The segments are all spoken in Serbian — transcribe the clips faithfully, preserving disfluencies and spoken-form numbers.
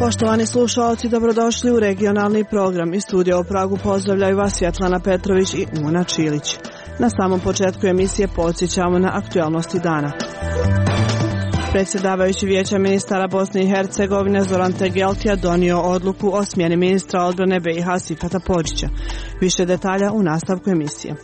Poštovani slušalci, dobrodošli u regionalni program. Iz studija u Pragu pozdravljaju vas Svjetlana Petrović i Una Čilić. Na samom početku emisije podsjećamo na aktualnosti dana. Predsjedavajući Vijeća ministara Bosne i Hercegovine Zoran Tegeltija donio odluku o smjeni ministra odbrane B i H Sifeta Podžića. Više detalja u nastavku emisije.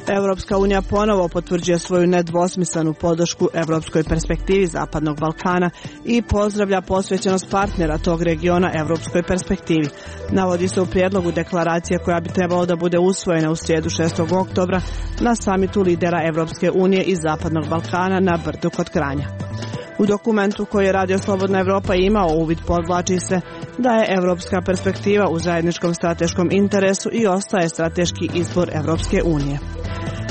Europska unija ponovo potvrđuje svoju nedvosmislenu podršku evropskoj perspektivi Zapadnog Balkana i pozdravlja posvećenost partnera tog regiona evropskoj perspektivi. Navodi se u prijedlogu deklaracije koja bi trebalo da bude usvojena u srijedu šestog oktobra na samitu lidera Evropske unije i Zapadnog Balkana na Brdu kod Kranja. U dokumentu koji je Radio Slobodna Evropa imao uvid podvlači se da je evropska perspektiva u zajedničkom strateškom interesu i ostaje strateški izbor Evropske unije.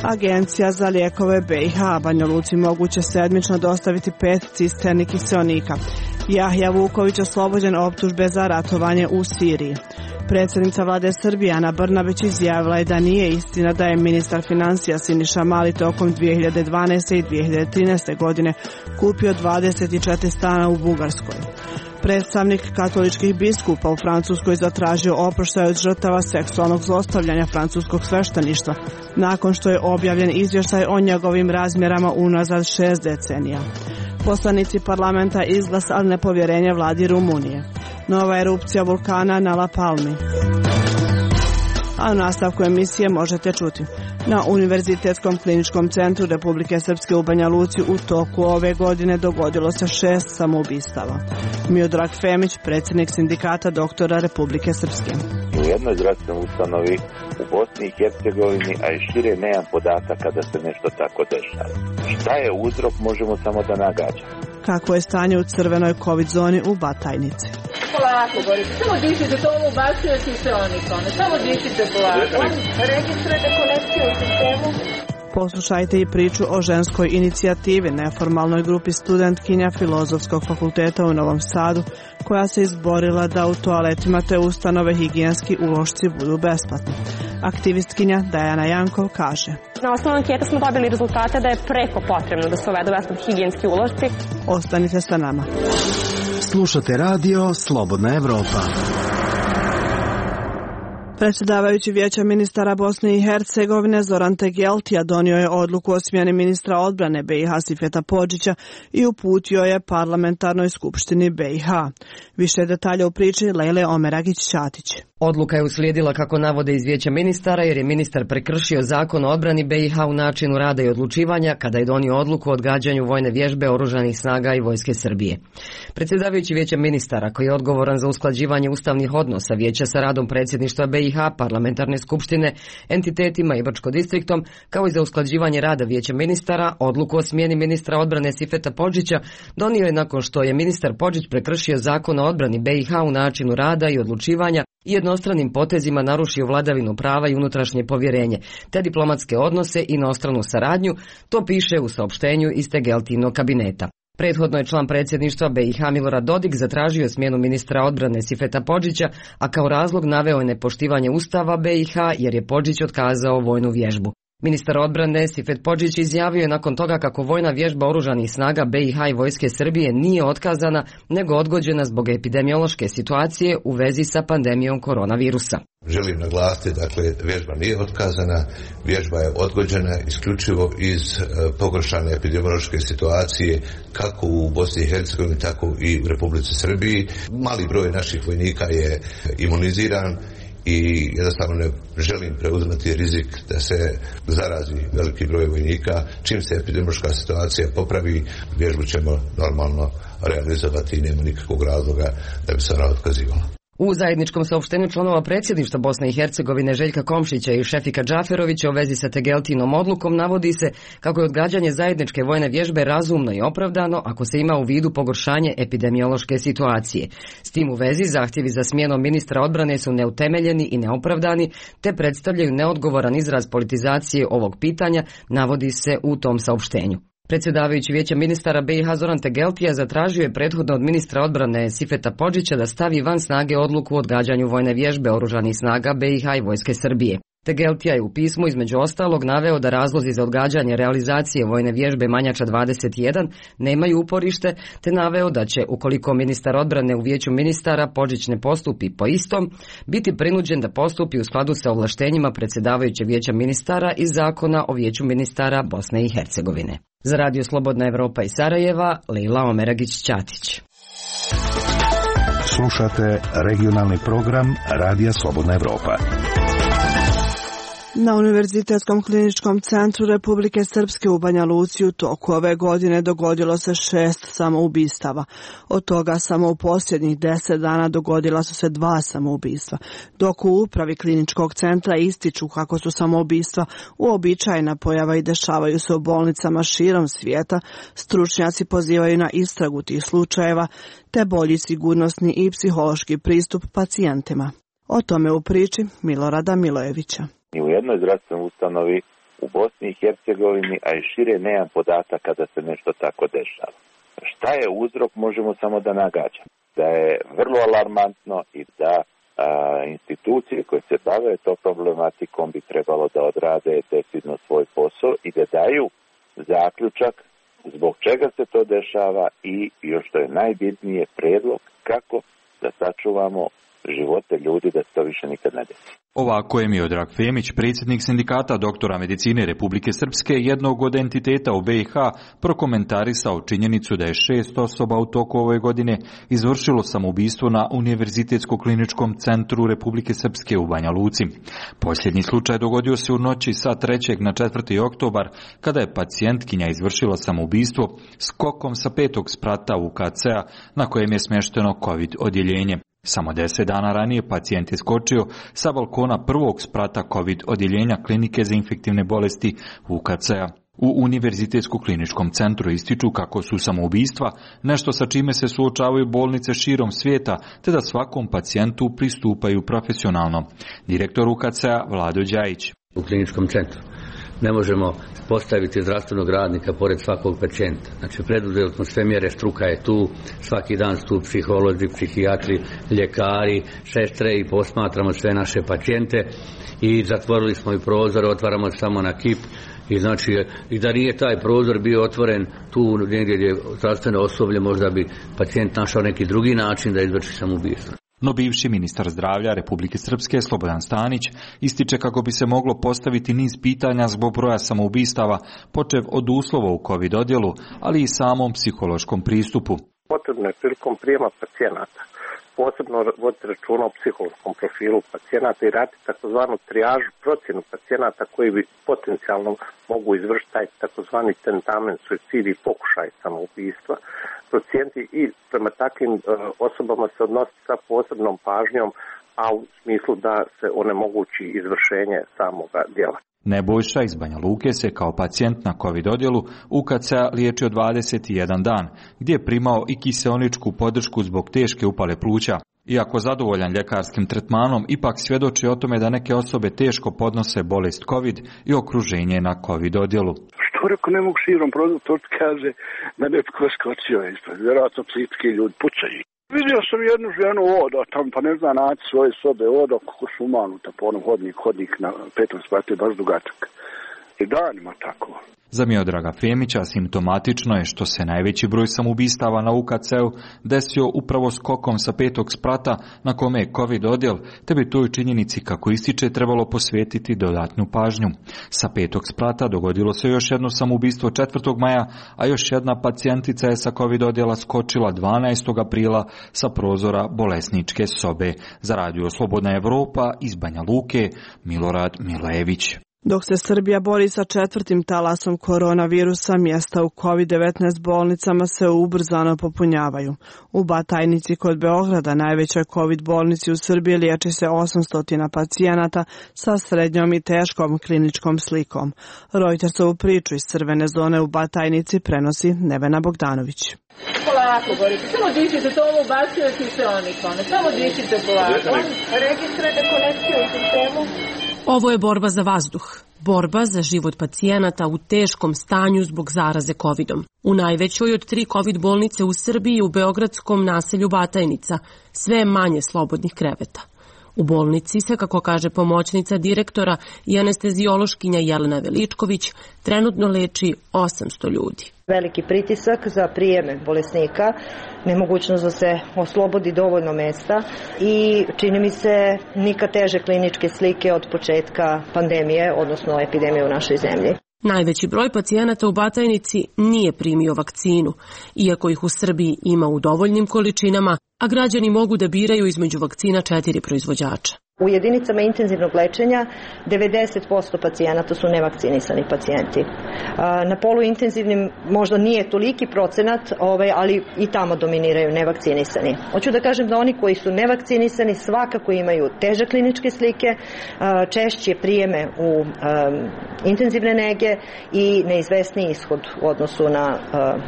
Agencija za lijekove B i H Banja Luci moguće sedmično dostaviti pet cisterni kiseonika. Jahja Vuković oslobođen optužbe za ratovanje u Siriji. Predsjednica vlade Srbije Ana Brnabić izjavila je da nije istina da je ministar financija Siniša Mali tokom dvije hiljade dvanaeste. i dvije hiljade trinaeste. godine kupio dvadeset četiri stana u Bugarskoj. Predstavnik katoličkih biskupa u Francuskoj zatražio oproštaj od žrtava seksualnog zlostavljanja francuskog svešteništva, nakon što je objavljen izvještaj o njegovim razmjerama unazad šest decenija. Poslanici parlamenta izglasali nepovjerenje vladi Rumunije. Nova erupcija vulkana na La Palmi. A u nastavku emisije možete čuti. Na Univerzitetskom kliničkom centru Republike Srpske u Banja Luci u toku ove godine dogodilo se šest samoubistava. Miodrag Femić, predsjednik sindikata doktora Republike Srpske. U jednoj zdravstvenoj ustanovi u Bosni i Hercegovini, a i šire nemam podataka da se nešto tako dešava. Šta je uzrok, možemo samo da nagađamo. Kako je stanje u crvenoj COVID zoni u Batajnici? Polako, Boris, samo dišite, to ovo ubacuje kiseonika, samo dišite polako. Registrujete konekciju u sistemu. Poslušajte i priču o ženskoj inicijativi, neformalnoj grupi studentkinja Filozofskog fakulteta u Novom Sadu, koja se izborila da u toaletima te ustanove higijenski ulošci budu besplatni. Aktivistkinja Dajana Jankov kaže: Na osnovu ankete smo dobili rezultate da je preko potrebno da se uvedu besplatni higijenski ulošci. Ostanite sa nama. Slušate radio Slobodna Evropa. Predsjedavajući Vijeća ministara Bosne i Hercegovine Zoran Tegeltija donio je odluku o smjeni ministra odbrane B i H Sifeta Podžića i uputio je parlamentarnoj skupštini B i H. Više detalja u priči Lejle Omeragić-Ćatić. Odluka je uslijedila, kako navode iz Vijeća ministara, jer je ministar prekršio zakon o odbrani B i H u načinu rada i odlučivanja kada je donio odluku o odgađanju vojne vježbe Oružanih snaga i Vojske Srbije. Predsjedavajući Vijeća ministara, koji je odgovoran za usklađivanje ustavnih odnosa Vijeća sa radom predsjedništva B i H, parlamentarne skupštine, entitetima i Brčko-distriktom, kao i za usklađivanje rada Vijeća ministara, odluku o smjeni ministra odbrane Sifeta Podžića donio je nakon što je ministar Podžić prekršio zakon o odbrani B i H u načinu rada i odlučivanja i jednostranim potezima narušio vladavinu prava i unutrašnje povjerenje, te diplomatske odnose i inostranu saradnju, to piše u saopštenju iz Tegeltinog kabineta. Prethodno je član predsjedništva B i H Milorad Dodik zatražio smjenu ministra odbrane Sifeta Podžića, a kao razlog naveo je nepoštivanje Ustava B i H jer je Podžić otkazao vojnu vježbu. Ministar odbrane Sifet Podžić izjavio je nakon toga kako vojna vježba Oružanih snaga B i H i Vojske Srbije nije otkazana, nego odgođena zbog epidemiološke situacije u vezi sa pandemijom koronavirusa. Želim naglasiti, dakle, vježba nije otkazana, vježba je odgođena isključivo iz e, pogoršane epidemiološke situacije kako u Bosni i Hercegovini, tako i u Republici Srbiji. Mali broj naših vojnika je imuniziran i jednostavno ne želim preuzimati rizik da se zarazi veliki broj vojnika. Čim se epidemiološka situacija popravi, vježbu ćemo normalno realizovati i nema nikakvog razloga da bi se ona otkazivala. U zajedničkom saopštenju članova predsjedništva Bosne i Hercegovine Željka Komšića i Šefika Džaferovića u vezi sa Tegeltinom odlukom navodi se kako je odgađanje zajedničke vojne vježbe razumno i opravdano ako se ima u vidu pogoršanje epidemiološke situacije. S tim u vezi zahtjevi za smjenom ministra odbrane su neutemeljeni i neopravdani, te predstavljaju neodgovoran izraz politizacije ovog pitanja, navodi se u tom saopštenju. Predsjedavajući Vijeća ministara B i H Zoran Tegeltija zatražio je prethodno od ministra odbrane Sifeta Podžića da stavi van snage odluku o odgađanju vojne vježbe Oružanih snaga B i H i Vojske Srbije. Tegeltija je u pismu između ostalog naveo da razlozi za odgađanje realizacije vojne vježbe Manjača dvadeset jedan nemaju uporište, te naveo da će, ukoliko ministar odbrane u Vijeću ministara Podžić ne postupi po istom, biti prinuđen da postupi u skladu sa ovlaštenjima predsjedavajućeg Vijeća ministara iz Zakona o Vijeću ministara Bosne i Hercegovine. Za Radio Slobodna Evropa iz Sarajeva, Lejla Omeragić-Ćatić. Slušate regionalni program Radija Slobodna Evropa. Na Univerzitetskom kliničkom centru Republike Srpske u Banja Luci u toku ove godine dogodilo se šest samoubistava. Od toga samo u posljednjih deset dana dogodila su se dva samoubistva, dok u upravi kliničkog centra ističu kako su samoubistva uobičajena pojava i dešavaju se u bolnicama širom svijeta. Stručnjaci pozivaju na istragu tih slučajeva te bolji sigurnosni i psihološki pristup pacijentima. O tome u priči Milorada Milojevića. Ni u jednoj zdravstvenoj ustanovi u Bosni i Hercegovini, a i šire nemam podataka da se nešto tako dešava. Šta je uzrok, možemo samo da nagađamo. Da je vrlo alarmantno i da a, institucije koje se bave to problematikom bi trebalo da odrade decidno svoj posao i da daju zaključak zbog čega se to dešava i, još što je najbitnije, predlog kako da sačuvamo živote ljudi da se to više nikad ne desi. Ovako je Miodrag Femić, predsjednik sindikata doktora medicine Republike Srpske, jednog od entiteta u B i H, prokomentarisao činjenicu da je šest osoba u toku ove godine izvršilo samoubistvo na Univerzitetskom kliničkom centru Republike Srpske u Banja Luci. Posljednji slučaj dogodio se u noći sa trećeg na četvrti oktobar, kada je pacijentkinja izvršila samoubistvo skokom sa petog sprata U K C-a na kojem je smješteno COVID odjeljenje. Samo deset dana ranije pacijent je skočio sa balkona prvog sprata COVID odjeljenja klinike za infektivne bolesti U K C-a. U Univerzitetskom kliničkom centru ističu kako su samoubistva nešto sa čime se suočavaju bolnice širom svijeta, te da svakom pacijentu pristupaju profesionalno. Direktor U K C-a Vlado Đajić. U kliničkom centru ne možemo postaviti zdravstvenog radnika pored svakog pacijenta. Znači, preduzeli smo sve mjere, struka je tu, svaki dan su tu psiholozi, psihijatri, ljekari, sestre i posmatramo sve naše pacijente i zatvorili smo i prozor, otvaramo samo na kip. I znači, i da nije taj prozor bio otvoren tu negdje gdje je zdravstveno osoblje, možda bi pacijent našao neki drugi način da izvrši samoubistvo. No bivši ministar zdravlja Republike Srpske Slobodan Stanić ističe kako bi se moglo postaviti niz pitanja zbog broja samoubistava, počev od uslova u COVID odjelu, ali i samom psihološkom pristupu. Potrebno je prilikom prijema pacijenata posebno voditi računa o psihološkom profilu pacijenata i raditi takozvanu trijažu, procjenu pacijenata koji bi potencijalno mogu izvršiti taj takozvani tentamen, suicid i pokušaj samoubistva, procijeniti i prema takvim uh, osobama se odnositi sa posebnom pažnjom, a u smislu da se onemogući izvršenje samoga djela. Nebojša iz Banja Luke se kao pacijent na COVID odjelu U K C-a liječio dvadeset jedan dan, gdje je primao i kiseoničku podršku zbog teške upale pluća. Iako zadovoljan ljekarskim tretmanom, ipak svjedoči o tome da neke osobe teško podnose bolest COVID i okruženje na COVID odjelu. Što reko, ne mogu širom prozor, to kaže da netko skočio ispred, vjerojatno psitski ljudi pucaju. Vidio sam jednu ženu odo tam, pa ne zna naći svoje sobe, odo kako su umanuta po onom hodnik, hodnik na petom spratu je baš dugačak. I danima tako. Za Miodraga Femića simptomatično je što se najveći broj samoubistava na U K C-u desio upravo skokom sa petog sprata na kome je COVID odjel, te bi toj činjenici, kako ističe, trebalo posvetiti dodatnu pažnju. Sa petog sprata dogodilo se još jedno samoubistvo četvrtog maja, a još jedna pacijentica je sa COVID odjela skočila dvanaestog aprila sa prozora bolesničke sobe. Za Radio Slobodna Evropa iz Banja Luke, Milorad Milojević. Dok se Srbija bori sa četvrtim talasom koronavirusa, mjesta u COVID devetnaest bolnicama se ubrzano popunjavaju. U Batajnici kod Beograda, najvećoj COVID bolnici u Srbiji, liječi se osamsto pacijenata sa srednjom i teškom kliničkom slikom. Reutersovu priču iz crvene zone u Batajnici prenosi Nevena Bogdanović. Polako, Borite, samo dišite, to ovo ubacuje kiseonikon, samo dišite polako. Registrujete konekciju u sistemu. Ovo je borba za vazduh, borba za život pacijenata u teškom stanju zbog zaraze kovidom. U najvećoj od tri COVID bolnice u Srbiji, u beogradskom naselju Batajnica, sve je manje slobodnih kreveta. U bolnici se, kako kaže pomoćnica direktora i anesteziološkinja Jelena Veličković, trenutno leči osamsto ljudi. Veliki pritisak za prijeme bolesnika, nemogućnost da se oslobodi dovoljno mesta i čini mi se nikad teže kliničke slike od početka pandemije, odnosno epidemije u našoj zemlji. Najveći broj pacijenata u Batajnici nije primio vakcinu, iako ih u Srbiji ima u dovoljnim količinama, a građani mogu da biraju između vakcina četiri proizvođača. U jedinicama intenzivnog lečenja devedeset posto pacijenata su nevakcinisani pacijenti. Na poluintenzivnim možda nije toliki procenat, ali i tamo dominiraju nevakcinisani. Hoću da kažem da oni koji su nevakcinisani svakako imaju teže kliničke slike, češće prijeme u intenzivne nege i neizvesniji ishod u odnosu na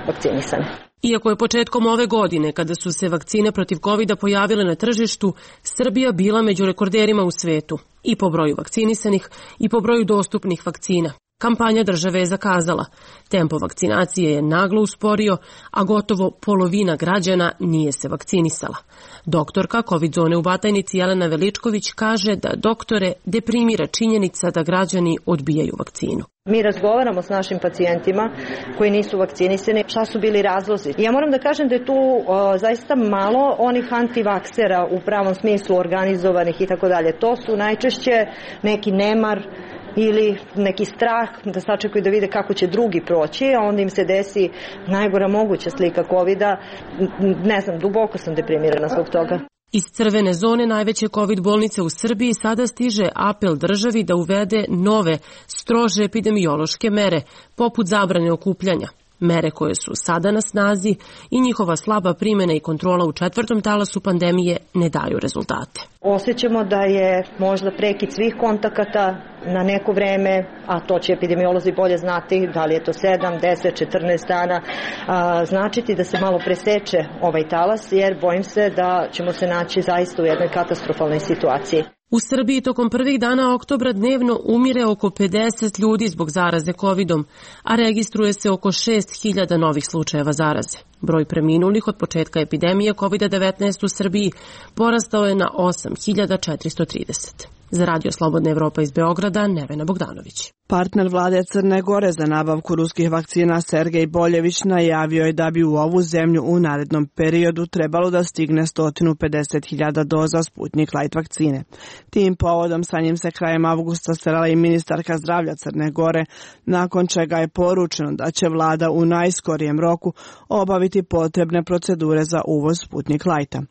vakcinisane. Iako je početkom ove godine, kada su se vakcine protiv kovida pojavile na tržištu, Srbija bila među rekorderima u svetu, i po broju vakcinisanih i po broju dostupnih vakcina. Kampanja države je zakazala. Tempo vakcinacije je naglo usporio, a gotovo polovina građana nije se vakcinisala. Doktorka COVID zone u Batajnici Jelena Veličković kaže da doktore deprimira činjenica da građani odbijaju vakcinu. Mi razgovaramo s našim pacijentima koji nisu vakcinisani, šta su bili razlozi. Ja moram da kažem da je tu o, zaista malo onih antivaksera u pravom smislu organizovanih i tako dalje. To su najčešće neki nemar ili neki strah da sačekaju da vide kako će drugi proći, a onda im se desi najgora moguća slika kovida. Ne znam, duboko sam deprimirana zbog toga. Iz crvene zone najveće COVID bolnice u Srbiji sada stiže apel državi da uvede nove, strože epidemiološke mere, poput zabrane okupljanja. Mere koje su sada na snazi i njihova slaba primjena i kontrola u četvrtom talasu pandemije ne daju rezultate. Osjećamo da je možda prekid svih kontakata na neko vreme, a to će epidemiolozi bolje znati, da li je to sedam, deset, četrnaest dana, a, značiti da se malo preseče ovaj talas, jer bojim se da ćemo se naći zaista u jednoj katastrofalnoj situaciji. U Srbiji tokom prvih dana oktobra dnevno umire oko pedeset ljudi zbog zaraze kovidom, a registruje se oko šest hiljada novih slučajeva zaraze. Broj preminulih od početka epidemije kovida devetnaest u Srbiji porastao je na osam hiljada četiristo trideset. Za Radio Slobodna Evropa iz Beograda, Nevena Bogdanović. Partner vlade Crne Gore za nabavku ruskih vakcina Sergej Boljević najavio je da bi u ovu zemlju u narednom periodu trebalo da stigne sto pedeset hiljada doza Sputnik Light vakcine. Tim povodom sa njim se krajem avgusta srela i ministarka zdravlja Crne Gore, nakon čega je poručeno da će vlada u najskorijem roku obaviti potrebne procedure za uvoz Sputnik Lighta.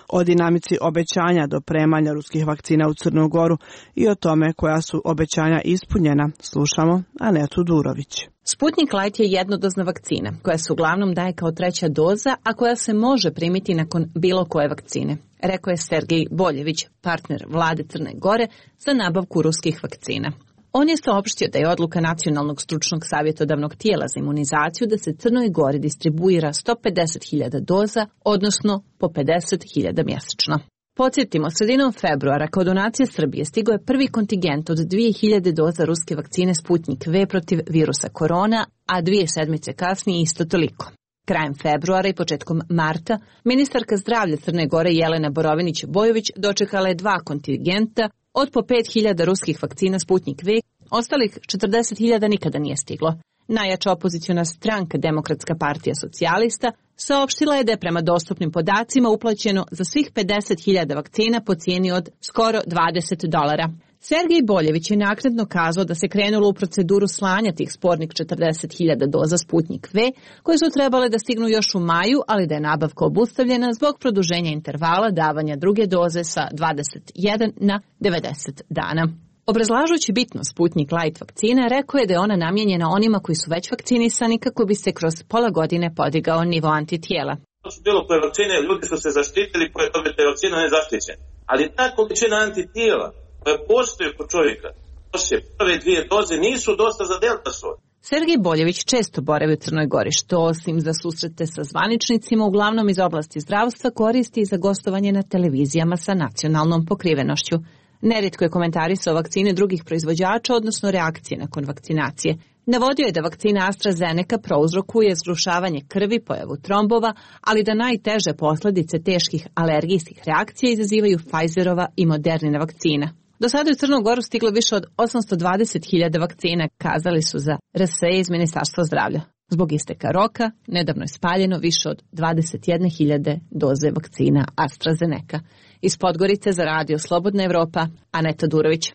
O dinamici obećanja dopremanja ruskih vakcina u Crnu Goru i o tome koja su obećanja ispunjena slušamo Anetu Durović. Sputnik Light je jednodozna vakcina koja se uglavnom daje kao treća doza, a koja se može primiti nakon bilo koje vakcine, rekao je Sergej Boljević, partner vlade Crne Gore za nabavku ruskih vakcina. On je saopštio da je odluka Nacionalnog stručnog savjetodavnog tijela za imunizaciju da se Crnoj Gori distribuira sto pedeset hiljada doza, odnosno po pedeset hiljada mjesečno. Podsjetimo, sredinom februara kao donacija Srbije stigao je prvi kontingent od dvije hiljade doza ruske vakcine Sputnik V protiv virusa korona, a dvije sedmice kasnije isto toliko. Krajem februara i početkom marta ministarka zdravlja Crne Gore Jelena Borovinić-Bojović dočekala je dva kontingenta od po pet hiljada ruskih vakcina Sputnik V, ostalih četrdeset hiljada nikada nije stiglo. Najjača opoziciona stranka Demokratska partija socijalista saopštila je da je prema dostupnim podacima uplaćeno za svih pedeset hiljada vakcina po cijeni od skoro dvadeset dolara. Sergej Boljević je naknadno kazao da se krenulo u proceduru slanja tih spornih četrdeset hiljada doza Sputnik V, koje su trebale da stignu još u maju, ali da je nabavka obustavljena zbog produženja intervala davanja druge doze sa dvadeset jedan na devedeset dana. Obrazlažući bitnost Sputnik Light vakcina, rekao je da je ona namijenjena onima koji su već vakcinisani kako bi se kroz pola godine podigao nivo antitijela. To su bilo koje vakcine, ljudi su se zaštitili, koje dobijete vakcina nezaštićene. Ali ta količina antitijela koja postoji kod čovjeka, poslije prve dvije doze, nisu dosta za delta soj. Sergej Boljević često boravi u Crnoj Gori, što osim za susrete sa zvaničnicima, uglavnom iz oblasti zdravstva, koristi i za gostovanje na televizijama sa nacionalnom pokrivenošću. Nerijetko je komentarisao vakcine drugih proizvođača, odnosno reakcije nakon vakcinacije. Navodio je da vakcina AstraZeneca prouzrokuje zgrušavanje krvi, pojavu trombova, ali da najteže posljedice teških alergijskih reakcija izazivaju Pfizerova i Modernina vakcina. Do sada je u Crnu Goru stiglo više od osamsto dvadeset hiljada vakcina, kazali su za R S E iz Ministarstva zdravlja. Zbog isteka roka, nedavno je spaljeno više od dvadeset jedne hiljade doze vakcina AstraZeneca. Iz Podgorice za Radio Slobodna Evropa, Aneta Durović.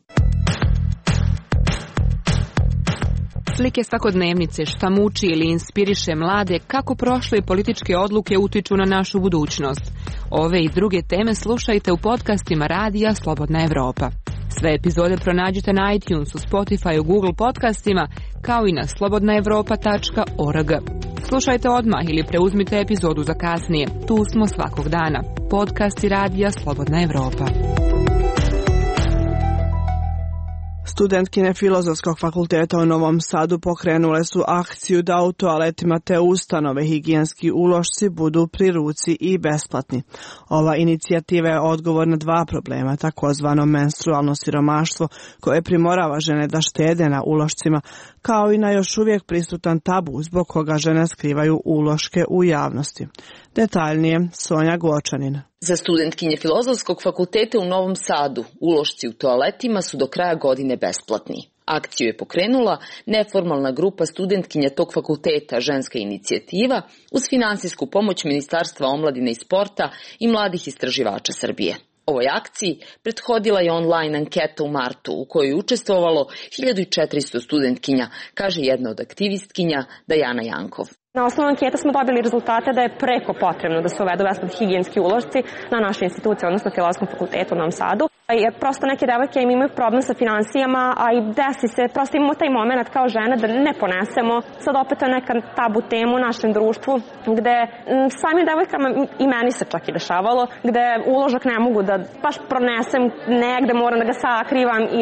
Slike svakodnevnice, šta muči ili inspiriše mlade, kako prošle političke odluke utiču na našu budućnost. Ove i druge teme slušajte u podcastima Radija Slobodna Evropa. Sve epizode pronađite na iTunesu, Spotify, Google podcastima, kao i na slobodna evropa tačka org. Slušajte odmah ili preuzmite epizodu za kasnije. Tu smo svakog dana. Podcasti Radija Slobodna Evropa. Studentkine Filozofskog fakulteta u Novom Sadu pokrenule su akciju da u toaletima te ustanove higijenski ulošci budu pri ruci i besplatni. Ova inicijativa je odgovor na dva problema, takozvano menstrualno siromaštvo koje primorava žene da štede na ulošcima, kao i na još uvijek prisutan tabu zbog koga žene skrivaju uloške u javnosti. Detaljnije, Sonja Gočanin. Za studentkinje Filozofskog fakulteta u Novom Sadu ulošci u toaletima su do kraja godine besplatni. Akciju je pokrenula neformalna grupa studentkinja tog fakulteta Ženska inicijativa uz finansijsku pomoć Ministarstva omladine i sporta i mladih istraživača Srbije. Ovoj akciji prethodila je online anketa u martu u kojoj je učestvovalo hiljadu četiristo studentkinja, kaže jedna od aktivistkinja Dajana Jankov. Na osnovu anketa smo dobili rezultate da je preko potrebno da se uvedu besplatni higijenski ulošci na našoj instituciji, odnosno Filozofskom fakultetu u Novom Sadu. Jer prosto neke devojke imaju problem sa finansijama, a i desi se, prosto imamo taj moment kao žene da ne ponesemo. Sad opet je neka tabu tema u našem društvu, gde samim devojkama i meni se čak i dešavalo, gde uložak ne mogu da baš pronesem negde, moram da ga sakrivam i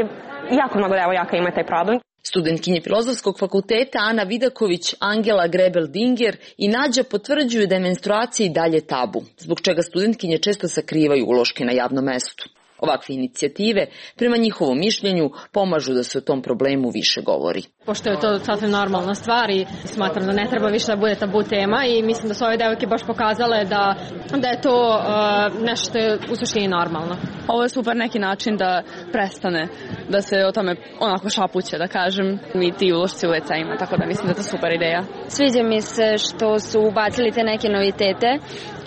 jako mnogo devojaka ima taj problem. Studentkinje Filozofskog fakulteta Ana Vidaković, Angela Grebel-Dinger i Nađa potvrđuju da je menstruacija i dalje tabu, zbog čega studentkinje često sakrivaju uloške na javnom mestu. Ovakve inicijative, prema njihovom mišljenju, pomažu da se o tom problemu više govori. Pošto je to sasvim normalna stvar i smatram da ne treba više da bude tabu tema i mislim da su ove devojke baš pokazale da, da je to uh, nešto što je u suštini normalno. Ovo je super neki način da prestane, da se o tome onako šapuće, da kažem, i ti ulošci u ve ceima, tako da mislim da je to super ideja. Sviđa mi se što su ubacili te neke novitete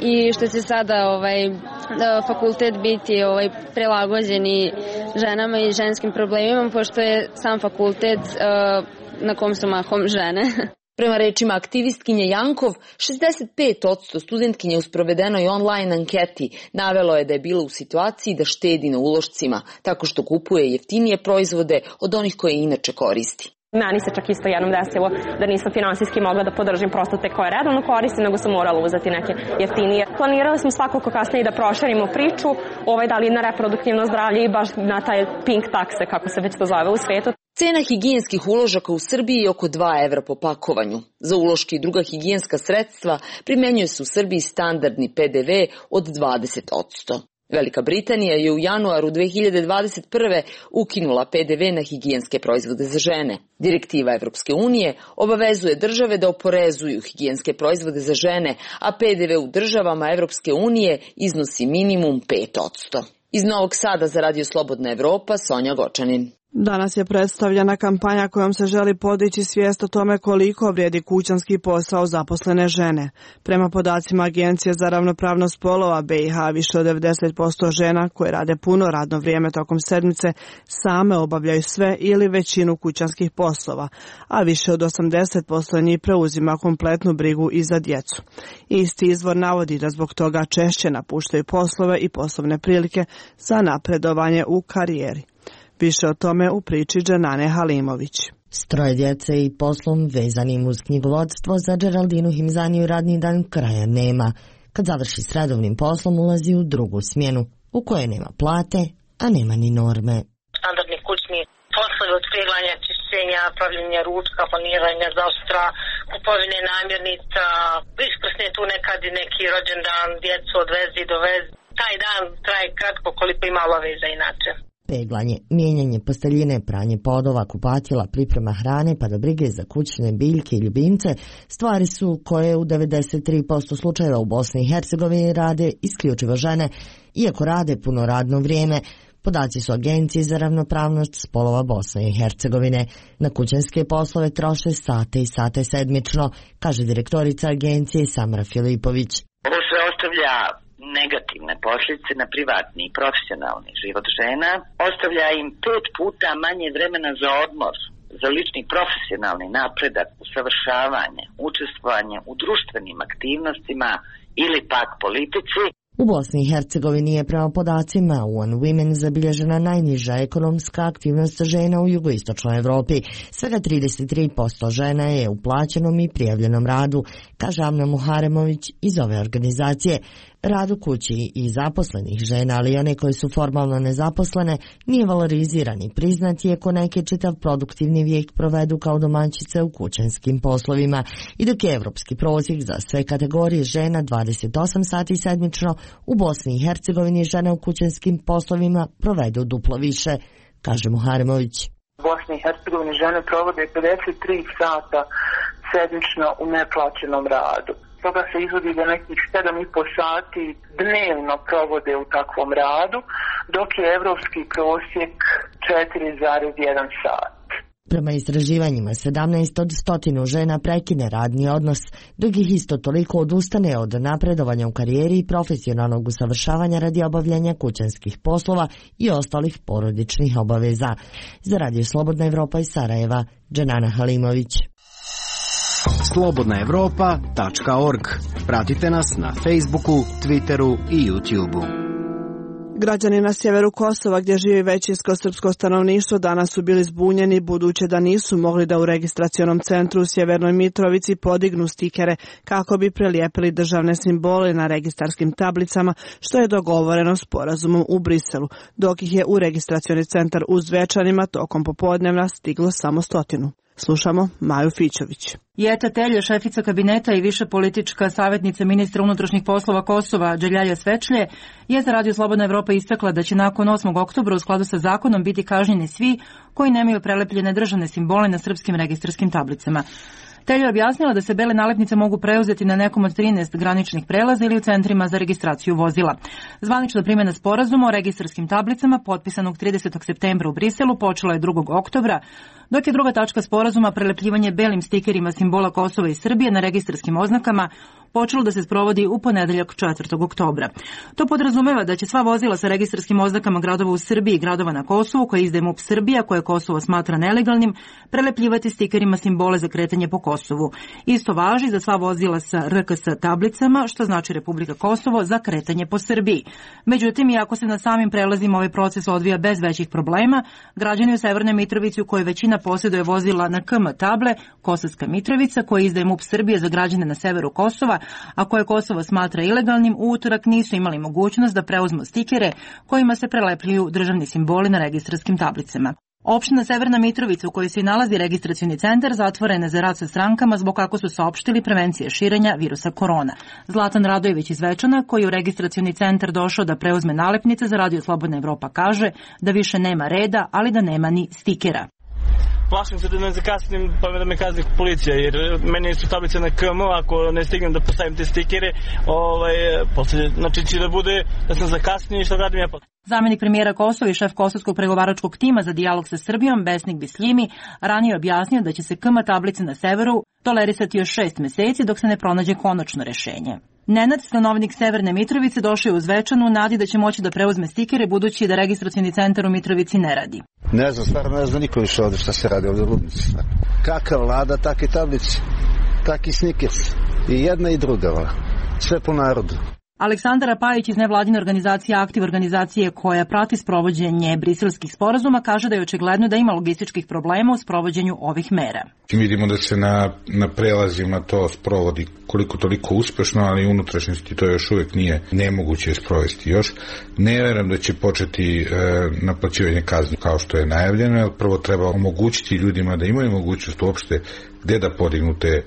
i što će sada ovaj, fakultet biti ovaj, prilagođeni ženama i ženskim problemima, pošto je sam fakultet uh, na kom su mahom žene. Prema rečima aktivistkinje Jankov, šezdeset pet posto studentkinje u sprovedenoj online anketi navelo je da je bila u situaciji da štedi na ulošcima, tako što kupuje jeftinije proizvode od onih koje inače koristi. Meni se čak isto jednom desilo da nisam finansijski mogla da podržim prosto te koje redovno koristim, nego sam morala uzeti neke jeftinije. Planirali smo svakako kasnije da proširimo priču, ovaj da li na reproduktivno zdravlje i baš na taj pink takse, kako se već to zove u svetu. Cena higijenskih uložaka u Srbiji je oko dva evra po pakovanju. Za uloške i druga higijenska sredstva primenjuje se u Srbiji standardni pe de ve od dvadeset posto. Velika Britanija je u januaru dve hiljade dvadeset prve ukinula pe de ve na higijenske proizvode za žene. Direktiva Evropske unije obavezuje države da oporezuju higijenske proizvode za žene, a pe de ve u državama Evropske unije iznosi minimum pet posto. Iz Novog Sada za Radio Slobodna Evropa, Sonja Gočanin. Danas je predstavljena kampanja kojom se želi podići svijest o tome koliko vrijedi kućanski posao zaposlene žene. Prema podacima Agencije za ravnopravnost spolova be i ha, više od devedeset posto žena koje rade puno radno vrijeme tokom sedmice same obavljaju sve ili većinu kućanskih poslova, a više od osamdeset posto njih preuzima kompletnu brigu i za djecu. Isti izvor navodi da zbog toga češće napuštaju poslove i poslovne prilike za napredovanje u karijeri. Više o tome u priči Dženane Halimović. S troje djece i poslom vezanim uz knjigovodstvo za Geraldinu Himzaniju radni dan kraja nema. Kad završi s redovnim poslom ulazi u drugu smjenu, u kojoj nema plate, a nema ni norme. Standardni kućni poslovi od peglanja, čišćenja, pravljenja ručka, planiranja zaostra, kupovine namirnica, iskrsne tu nekad i neki rođendan, djecu odvezi, dovezi. Taj dan traje kratko koliko ima obaveza inače. Peglanje, mijenjanje posteljine, pranje podova, kupatila, priprema hrane pa do brige za kućne biljke i ljubimce stvari su koje u devedeset tri posto slučajeva u Bosni i Hercegovini rade isključivo žene, iako rade puno radno vrijeme. Podaci su Agencije za ravnopravnost spolova Bosne i Hercegovine. Na kućanske poslove troše sate i sate sedmično, kaže direktorica agencije Samra Filipović. Ovo sve ostavlja negativne posljedice na privatni i profesionalni život žena, ostavlja im pet puta manje vremena za odmor, za lični profesionalni napredak, usavršavanje, učestvovanje u društvenim aktivnostima ili pak politici. U Bosni i Hercegovini je prema podacima One Women zabilježena najniža ekonomska aktivnost žena u jugoistočnoj Evropi. Svega trideset tri posto žena je u plaćenom i prijavljenom radu, kaže Amna Muharemović iz ove organizacije. Rad u kući i zaposlenih žena, ali i one koje su formalno nezaposlene, nije valoriziran i priznat, iako neke čitav produktivni vijek provedu kao domaćice u kućanskim poslovima. I dok je evropski prosjek za sve kategorije žena dvadeset osam sati sedmično, u Bosni i Hercegovini žene u kućanskim poslovima provedu duplo više, kaže Muharemović. U Bosni i Hercegovini žene provode pedeset tri sata sedmično u neplaćenom radu. Toga se izvodi da nekih sedam i po sati dnevno provode u takvom radu, dok je evropski prosjek četiri zarez jedan sat. Prema istraživanjima, sedamnaest od stotinu žena prekine radni odnos, dok ih isto toliko odustane od napredovanja u karijeri i profesionalnog usavršavanja radi obavljanja kućanskih poslova i ostalih porodičnih obaveza. Za Radio Slobodna Evropa iz Sarajeva, Dženana Halimović. slobodna evropa tačka org. Pratite nas na Facebooku, Twitteru i YouTubeu. Građani na sjeveru Kosova, gdje živi većinsko srpsko stanovništvo, danas su bili zbunjeni budući da nisu mogli da u registracionom centru u Sjevernoj Mitrovici podignu stikere kako bi prelijepili državne simbole na registarskim tablicama, što je dogovoreno sporazumom u Briselu, dok ih je u registracioni centar u Zvečanima tokom popodnevna stiglo samo stotinu. Slušamo Maju Fićović. Jeta Telje, šefica kabineta i više politička savjetnica ministra unutrašnjih poslova Kosova Đeljaja Svečlje, je za Radio Slobodna Evropa istakla da će nakon osmog oktobra u skladu sa zakonom biti kažnjeni svi koji nemaju prelepljene državne simbole na srpskim registarskim tablicama. Telja je objasnila da se bele nalepnice mogu preuzeti na nekom od trinaest graničnih prelaza ili u centrima za registraciju vozila. Zvanična primjena sporazuma o registarskim tablicama potpisanog tridesetog septembra u Briselu počela je drugog oktobra, dok je druga tačka sporazuma prelepljivanje belim stikerima simbola Kosova i Srbije na registarskim oznakama počelo da se sprovodi u ponedeljak četvrtog oktobra. To podrazumeva da će sva vozila sa registarskim oznakama gradova u Srbiji i gradova na Kosovu koje izdaje MUP Srbija, koje Kosovo smatra nelegalnim, prelepljivati stikerima simbole za kretanje po Kosovu. Isto važi za sva vozila sa R K S tablicama, što znači Republika Kosovo, za kretanje po Srbiji. Međutim, iako se na samim prelazima ovaj proces odvija bez većih problema, građani u Severnoj Mitrovici u kojoj većina posjeduje vozila na K M table, Kosovska Mitrovica, koje izdaje MUP Srbije za građane na severu Kosova, a koje Kosovo smatra ilegalnim, u utorak nisu imali mogućnost da preuzmu stikere kojima se prelepljuju državni simboli na registarskim tablicama. Opština Severna Mitrovica, u kojoj se nalazi registracioni centar, zatvorena za rad sa strankama zbog, kako su saopštili, prevencije širenja virusa korona. Zlatan Radojević iz Zvečana, koji je u registracioni centar došao da preuzme nalepnice za Radio Slobodna Evropa, kaže da više nema reda, ali da nema ni stikera. Plašim se da ne zakasnim pa da me kazni policija, jer meni su tablice na K M, ako ne stignem da postavim te stikere, ovaj, posle, znači će da bude da sam zakasnio i što radim ja posle. Zamenik premijera Kosova i šef kosovskog pregovaračkog tima za dijalog sa Srbijom, Besnik Bisljimi, ranije je objasnio da će se K M tablice na severu tolerisati još šest meseci dok se ne pronađe konačno rešenje. Nenad, stanovnik Severne Mitrovice, došao je u Zvečanu u nadi da će moći da preuzme stikere, budući da registracioni centar u Mitrovici ne radi. Ne znam, stvarno ne znam niko više ovdje šta se radi ovdje u Rudnici. Kaka vlada, takve tablice, taki snikers. I jedna i druga, sve po narodu. Aleksandar Pajić iz nevladine organizacije Aktiv, organizacije koja prati sprovođenje briselskih sporazuma, kaže da je očigledno da ima logističkih problema u sprovođenju ovih mera. Vidimo da se na, na prelazima to sprovodi koliko toliko uspešno, ali u unutrašnjosti to još uvijek nije nemoguće sprovesti još. Ne vjerujem da će početi e, naplaćivanje kazni kao što je najavljeno, jer prvo treba omogućiti ljudima da imaju mogućnost uopšte gde da podignu te e,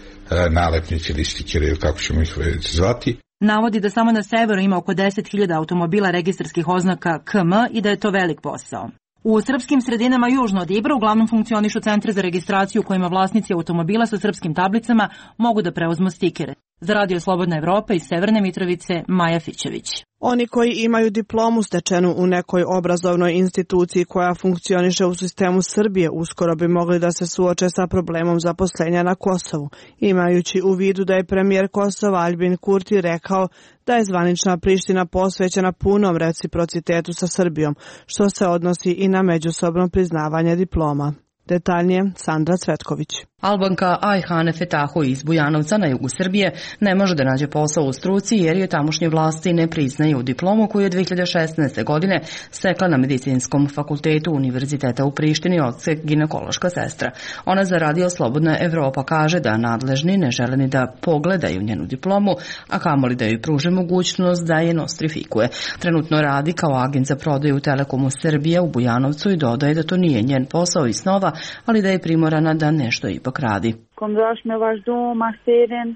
nalepnice ili stikere ili kako ćemo ih zvati. Navodi da samo na severu ima oko deset hiljada automobila registarskih oznaka K M i da je to velik posao. U srpskim sredinama južno od Ibra uglavnom funkcionišu centri za registraciju u kojima vlasnici automobila sa srpskim tablicama mogu da preuzmu stikere. Za Radio Slobodna Evropa iz Severne Mitrovice, Maja Fićević. Oni koji imaju diplomu stečenu u nekoj obrazovnoj instituciji koja funkcioniše u sistemu Srbije uskoro bi mogli da se suoče sa problemom zaposlenja na Kosovu, imajući u vidu da je premijer Kosova Aljbin Kurti rekao da je zvanična Priština posvećena punom reciprocitetu sa Srbijom, što se odnosi i na međusobno priznavanje diploma. Detaljnije, Sandra Cvetković. Albanka Ajhane Fetahu iz Bujanovca na jugu Srbije ne može da nađe posao u struci jer je tamošnje vlasti ne priznaju diplomu koju je dve hiljade šesnaeste. godine stekla na Medicinskom fakultetu Univerziteta u Prištini odsek ginekološka sestra. Ona za Radio Slobodna Evropa kaže da nadležni ne žele ni da pogledaju njenu diplomu, a kamoli da joj pruže mogućnost da je nostrifikuje. Trenutno radi kao agent za prodaju Telekomu Srbije u Bujanovcu i dodaje da to nije njen posao i snova, ali da je primorana da nešto ipak radi.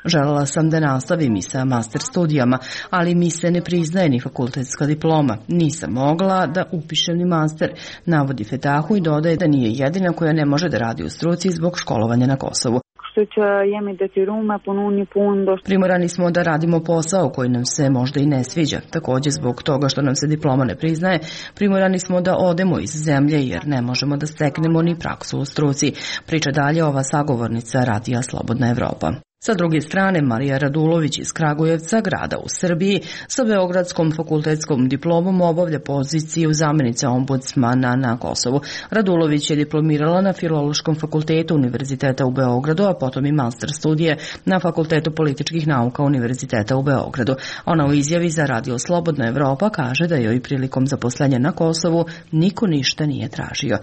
Želela sam da nastavim i sa master studijama, ali mi se ne priznaje ni fakultetska diploma. Nisam mogla da upišem ni master, navodi Fetahu i dodaje da nije jedina koja ne može da radi u struci zbog školovanja na Kosovu. Primorani smo da radimo posao koji nam se možda i ne sviđa. Također zbog toga što nam se diploma ne priznaje, primorani smo da odemo iz zemlje jer ne možemo da steknemo ni praksu u struci. Priča dalje ova sagovornica Radija Slobodna Evropa. Sa druge strane, Marija Radulović iz Kragujevca, grada u Srbiji, sa Beogradskom fakultetskom diplomom obavlja poziciju zamjenice ombudsmana na Kosovu. Radulović je diplomirala na Filološkom fakultetu Univerziteta u Beogradu, a potom i master studije na Fakultetu političkih nauka Univerziteta u Beogradu. Ona u izjavi za Radio Slobodna Evropa kaže da joj prilikom zaposlenja na Kosovu niko ništa nije tražio.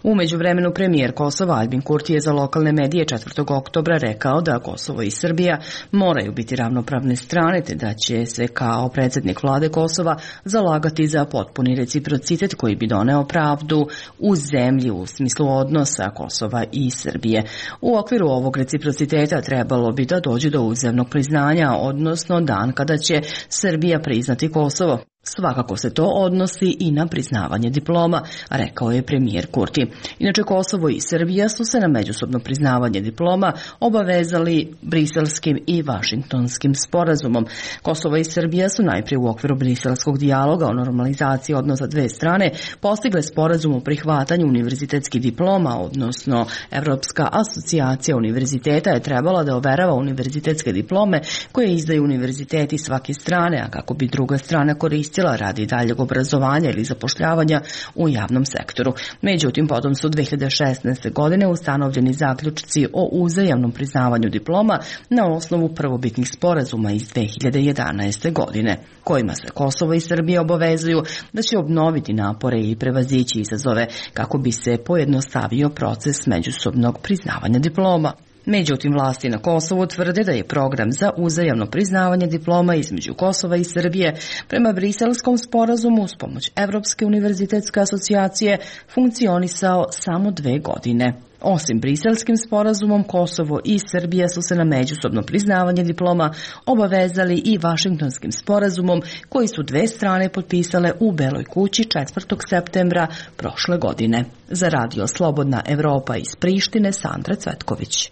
U međuvremenu premijer Kosova Aljbin Kurti je za lokalne medije četvrtog oktobra rekao da Kosovo i Srbija moraju biti ravnopravne strane, te da će se kao predsjednik vlade Kosova zalagati za potpuni reciprocitet koji bi doneo pravdu u zemlji u smislu odnosa Kosova i Srbije. U okviru ovog reciprociteta trebalo bi da dođe do uzajamnog priznanja, odnosno dan kada će Srbija priznati Kosovo. Svakako se to odnosi i na priznavanje diploma, rekao je premijer Kurti. Inače, Kosovo i Srbija su se na međusobno priznavanje diploma obavezali briselskim i vašingtonskim sporazumom. Kosovo i Srbija su najprije u okviru briselskog dijaloga o normalizaciji odnosa dve strane postigle sporazum o prihvatanju univerzitetskih diploma, odnosno Evropska asocijacija univerziteta je trebala da overava univerzitetske diplome koje izdaju univerziteti svake strane, a kako bi druga strana koristila radi daljeg obrazovanja ili zapošljavanja u javnom sektoru. Međutim, potom su dve hiljade šesnaeste. godine ustanovljeni zaključci o uzajamnom priznavanju diploma na osnovu prvobitnih sporazuma iz dve hiljade jedanaeste. godine, kojima se Kosovo i Srbija obavezuju da će obnoviti napore i prevazići izazove kako bi se pojednostavio proces međusobnog priznavanja diploma. Međutim, vlasti na Kosovu tvrde da je program za uzajamno priznavanje diploma između Kosova i Srbije prema Briselskom sporazumu uz pomoć Evropske univerzitetske asocijacije funkcionisao samo dve godine. Osim Briselskim sporazumom, Kosovo i Srbija su se na međusobno priznavanje diploma obavezali i Vašingtonskim sporazumom koji su dve strane potpisale u Beloj kući četvrtog septembra prošle godine. Za Radio Slobodna Evropa iz Prištine, Sandra Cvetković.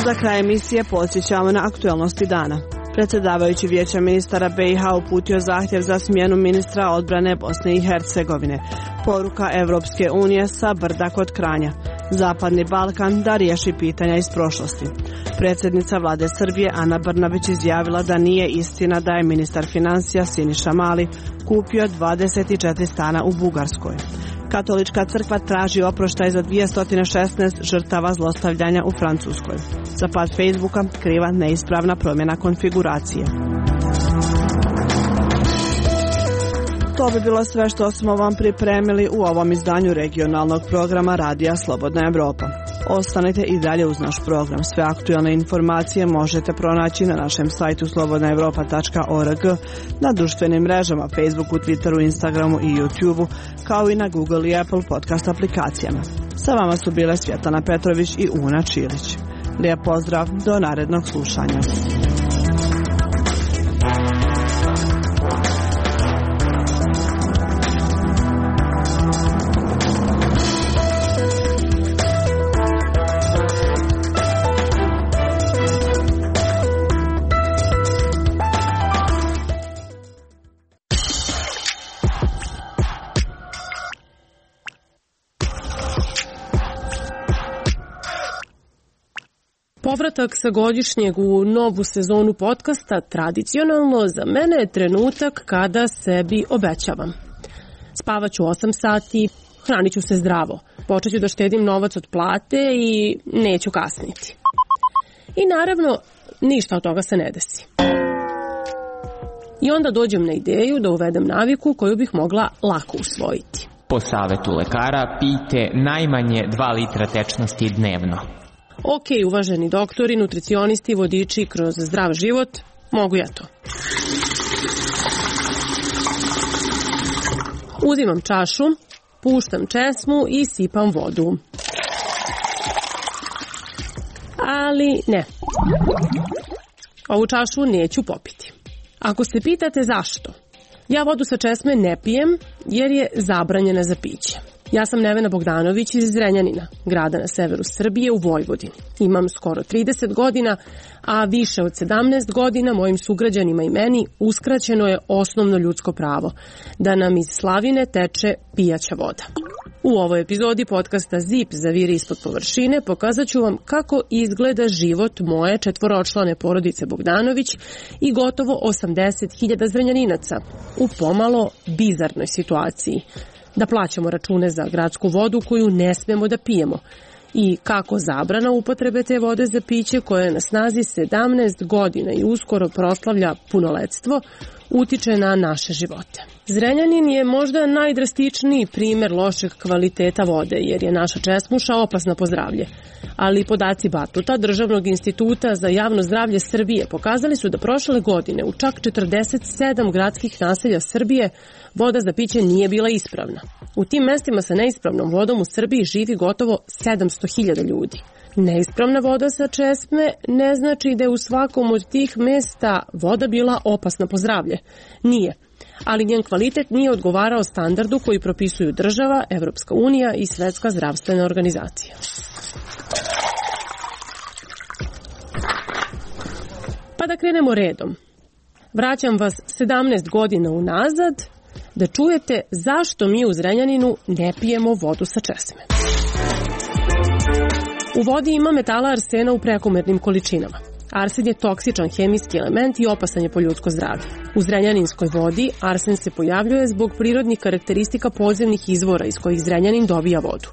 Za kraj emisije podsjećamo na aktuelnosti dana. Predsjedavajući Vijeća ministara B i H uputio zahtjev za smjenu ministra odbrane Bosne i Hercegovine. Poruka Evropske unije sa brda kod Kranja. Zapadni Balkan da riješi pitanja iz prošlosti. Predsjednica vlade Srbije Ana Brnabić izjavila da nije istina da je ministar financija Siniša Mali kupio dvadeset četiri stana u Bugarskoj. Katolička crkva traži oproštaj za dvjesto šesnaest žrtava zlostavljanja u Francuskoj. Za pad Facebooka kriva neispravna promjena konfiguracije. To bi bilo sve što smo vam pripremili u ovom izdanju regionalnog programa Radija Slobodna Evropa. Ostanite i dalje uz naš program. Sve aktualne informacije možete pronaći na našem sajtu slobodna evropa tačka org, na društvenim mrežama Facebooku, Twitteru, Instagramu i YouTubeu, kao i na Google i Apple podcast aplikacijama. Sa vama su bile Svjetlana Petrović i Una Čilić. Lijep pozdrav, do narednog slušanja. Povratak sa godišnjeg u novu sezonu podcasta tradicionalno za mene je trenutak kada sebi obećavam. Spavaću osam sati, hranit ću se zdravo, počet ću da štedim novac od plate i neću kasniti. I naravno, ništa od toga se ne desi. I onda dođem na ideju da uvedem naviku koju bih mogla lako usvojiti. Po savetu lekara pijte najmanje dva litra tečnosti dnevno. Ok, uvaženi doktori, nutricionisti, vodiči kroz zdrav život, mogu ja to. Uzimam čašu, puštam česmu i sipam vodu. Ali ne. Ovu čašu neću popiti. Ako se pitate zašto, ja vodu sa česme ne pijem jer je zabranjena za piće. Ja sam Nevena Bogdanović iz Zrenjanina, grada na severu Srbije u Vojvodini. Imam skoro trideset godina, a više od sedamnaest godina mojim sugrađanima i meni uskraćeno je osnovno ljudsko pravo, da nam iz slavine teče pijaća voda. U ovoj epizodi podcasta Zip zaviri ispod površine pokazat ću vam kako izgleda život moje četvoročlane porodice Bogdanović i gotovo osamdeset hiljada Zrenjaninaca u pomalo bizarnoj situaciji. Da plaćamo račune za gradsku vodu koju ne smemo da pijemo i kako zabrana upotrebe te vode za piće koja je na snazi sedamnaest godina i uskoro proslavlja punoletstvo utiče na naše živote. Zrenjanin je možda najdrastičniji primer lošeg kvaliteta vode jer je naša česmuša opasna po zdravlje. Ali podaci Batuta, Državnog instituta za javno zdravlje Srbije, pokazali su da prošle godine u čak četrdeset sedam gradskih naselja Srbije voda za piće nije bila ispravna. U tim mestima sa neispravnom vodom u Srbiji živi gotovo sedamsto hiljada ljudi. Neispravna voda sa česme ne znači da je u svakom od tih mesta voda bila opasna po zdravlje. Nije. Ali njen kvalitet nije odgovarao standardu koji propisuju država, Evropska unija i Svetska zdravstvena organizacija. Pa da krenemo redom. Vraćam vas sedamnaest godina unazad da čujete zašto mi u Zrenjaninu ne pijemo vodu sa česme. U vodi ima metala arsena u prekomernim količinama. Arsen je toksičan hemijski element i opasan je po ljudsko zdravlje. U zrenjaninskoj vodi arsen se pojavljuje zbog prirodnih karakteristika podzemnih izvora iz kojih Zrenjanin dobija vodu.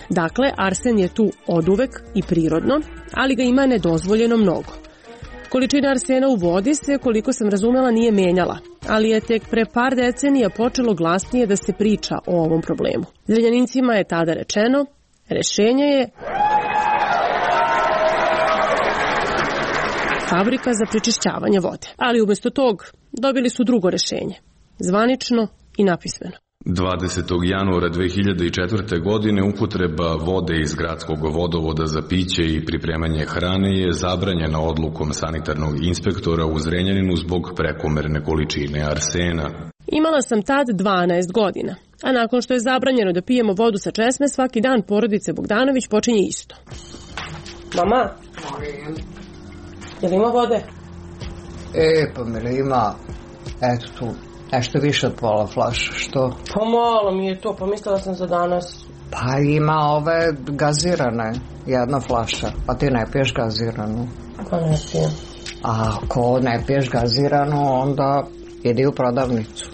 Dakle, arsen je tu oduvek i prirodno, ali ga ima nedozvoljeno mnogo. Količina arsena u vodi se, koliko sam razumela, nije menjala, ali je tek pre par decenija počelo glasnije da se priča o ovom problemu. Zrenjanincima je tada rečeno, rešenje je fabrika za prečišćavanje vode. Ali umjesto tog dobili su drugo rešenje, zvanično i napismeno. dvadesetog januara dve hiljade četvrte. godine upotreba vode iz gradskog vodovoda za piće i pripremanje hrane je zabranjena odlukom sanitarnog inspektora u Zrenjaninu zbog prekomerne količine arsena. Imala sam tad dvanaest godina, a nakon što je zabranjeno da pijemo vodu sa česme, svaki dan porodice Bogdanović počinje isto. Mama, je li ima vode? E, pa mi ima, eto tu, nešto više od pola flaša, što? Pa malo mi je to, pa mislila sam za danas. Pa ima ove gazirane, jedna flaša, pa ti ne piješ gaziranu. Pa ne pijem. A ako ne piješ gaziranu, onda idi u prodavnicu,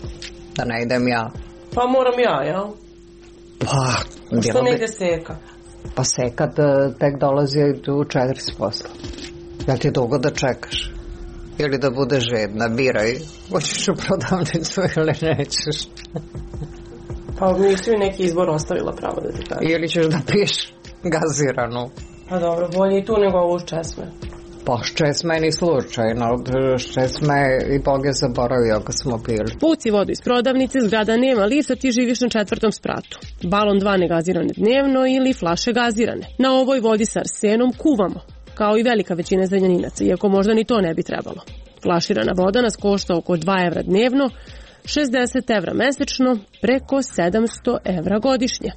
da ne idem ja. Pa moram ja, jel? Pa, što ne ide seka? Pa seka tek dolazi u četiri posla. Da ti dugo da čekaš? Ili da budeš žedna, biraj. Hoćeš u prodavnicu ili nećeš? Pa nisi mi neki izbor ostavila pravo da ti kažem. Ili ćeš da piješ gaziranu? Pa dobro, bolje i tu nego ovu česme. Pa česme je ni slučajno. Česme i Bog je zaboravio kad smo pili. Puci vodu iz prodavnice, zgrada nema lifta, ti živiš na četvrtom spratu. Balon dva negazirane dnevno ili flaše gazirane. Na ovoj vodi sa arsenom kuvamo, kao i velika većina Zrenjaninaca, iako možda ni to ne bi trebalo. Flaširana voda nas košta oko dva evra dnevno, šezdeset evra mesečno, preko sedamsto evra godišnje.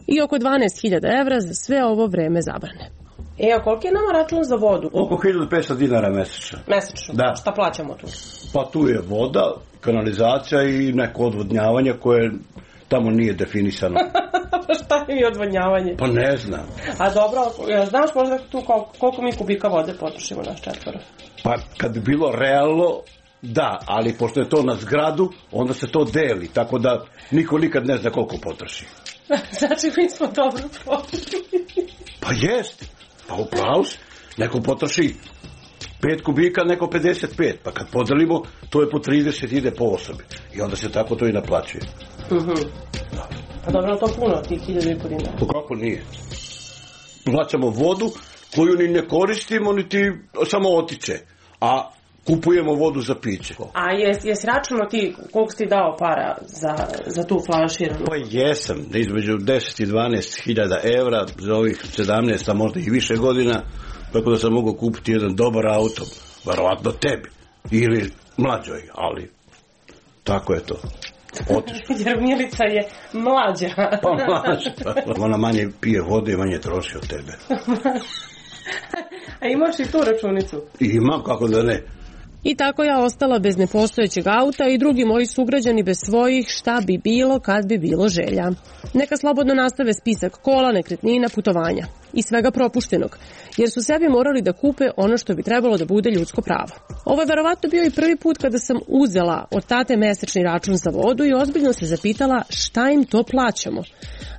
I oko dvanaest hiljada evra za sve ovo vreme zabrane. E, a koliko je nama račun za vodu? Oko hiljadu petsto dinara mesečno. Mesečno? Da. Šta plaćamo tu? Pa tu je voda, kanalizacija i neko odvodnjavanje koje tamo nije definisano. Šta je mi odvodnjavanje? Pa ne znam. A dobro, znaš možda tu koliko, koliko mi kubika vode potrošimo naš četvoro? Pa kad bi bilo realno, da, ali pošto je to na zgradu, onda se to deli, tako da niko nikad ne zna koliko potroši. Znači mi smo dobro potrošili. Pa jest, pa upravo si. Neko potroši pet kubika, neko pedeset pet, pa kad podelimo, to je po trideset, ide po osobi. I onda se tako to i naplaćuje. Mhm. Da. Pa dobro, to puno, tih hiljadu i po dinara. Pa kako nije? Plaćamo vodu koju ni ne koristimo, niti samo otiče, a kupujemo vodu za piće. A jes, jes računao ti koliko si dao para za, za tu flaširanu? Pa jesam, između deset i dvanaest hiljada evra za ovih sedamnaest, a možda i više godina, tako da sam mogao kupiti jedan dobar auto, verovatno tebi, ili mlađoj, ali tako je to. Otišlo. Jer Milica je mlađa. Pa mlađa. Ona manje pije vode i manje troši od tebe. A imaš i tu računicu? Imam, kako da ne. I tako ja ostala bez nepostojećeg auta i drugi moji sugrađani bez svojih šta bi bilo kad bi bilo želja. Neka slobodno nastave spisak kola, nekretnina, putovanja i svega propuštenog, jer su sebi morali da kupe ono što bi trebalo da bude ljudsko pravo. Ovo je verovatno bio i prvi put kada sam uzela od tate mesečni račun za vodu i ozbiljno se zapitala šta im to plaćamo.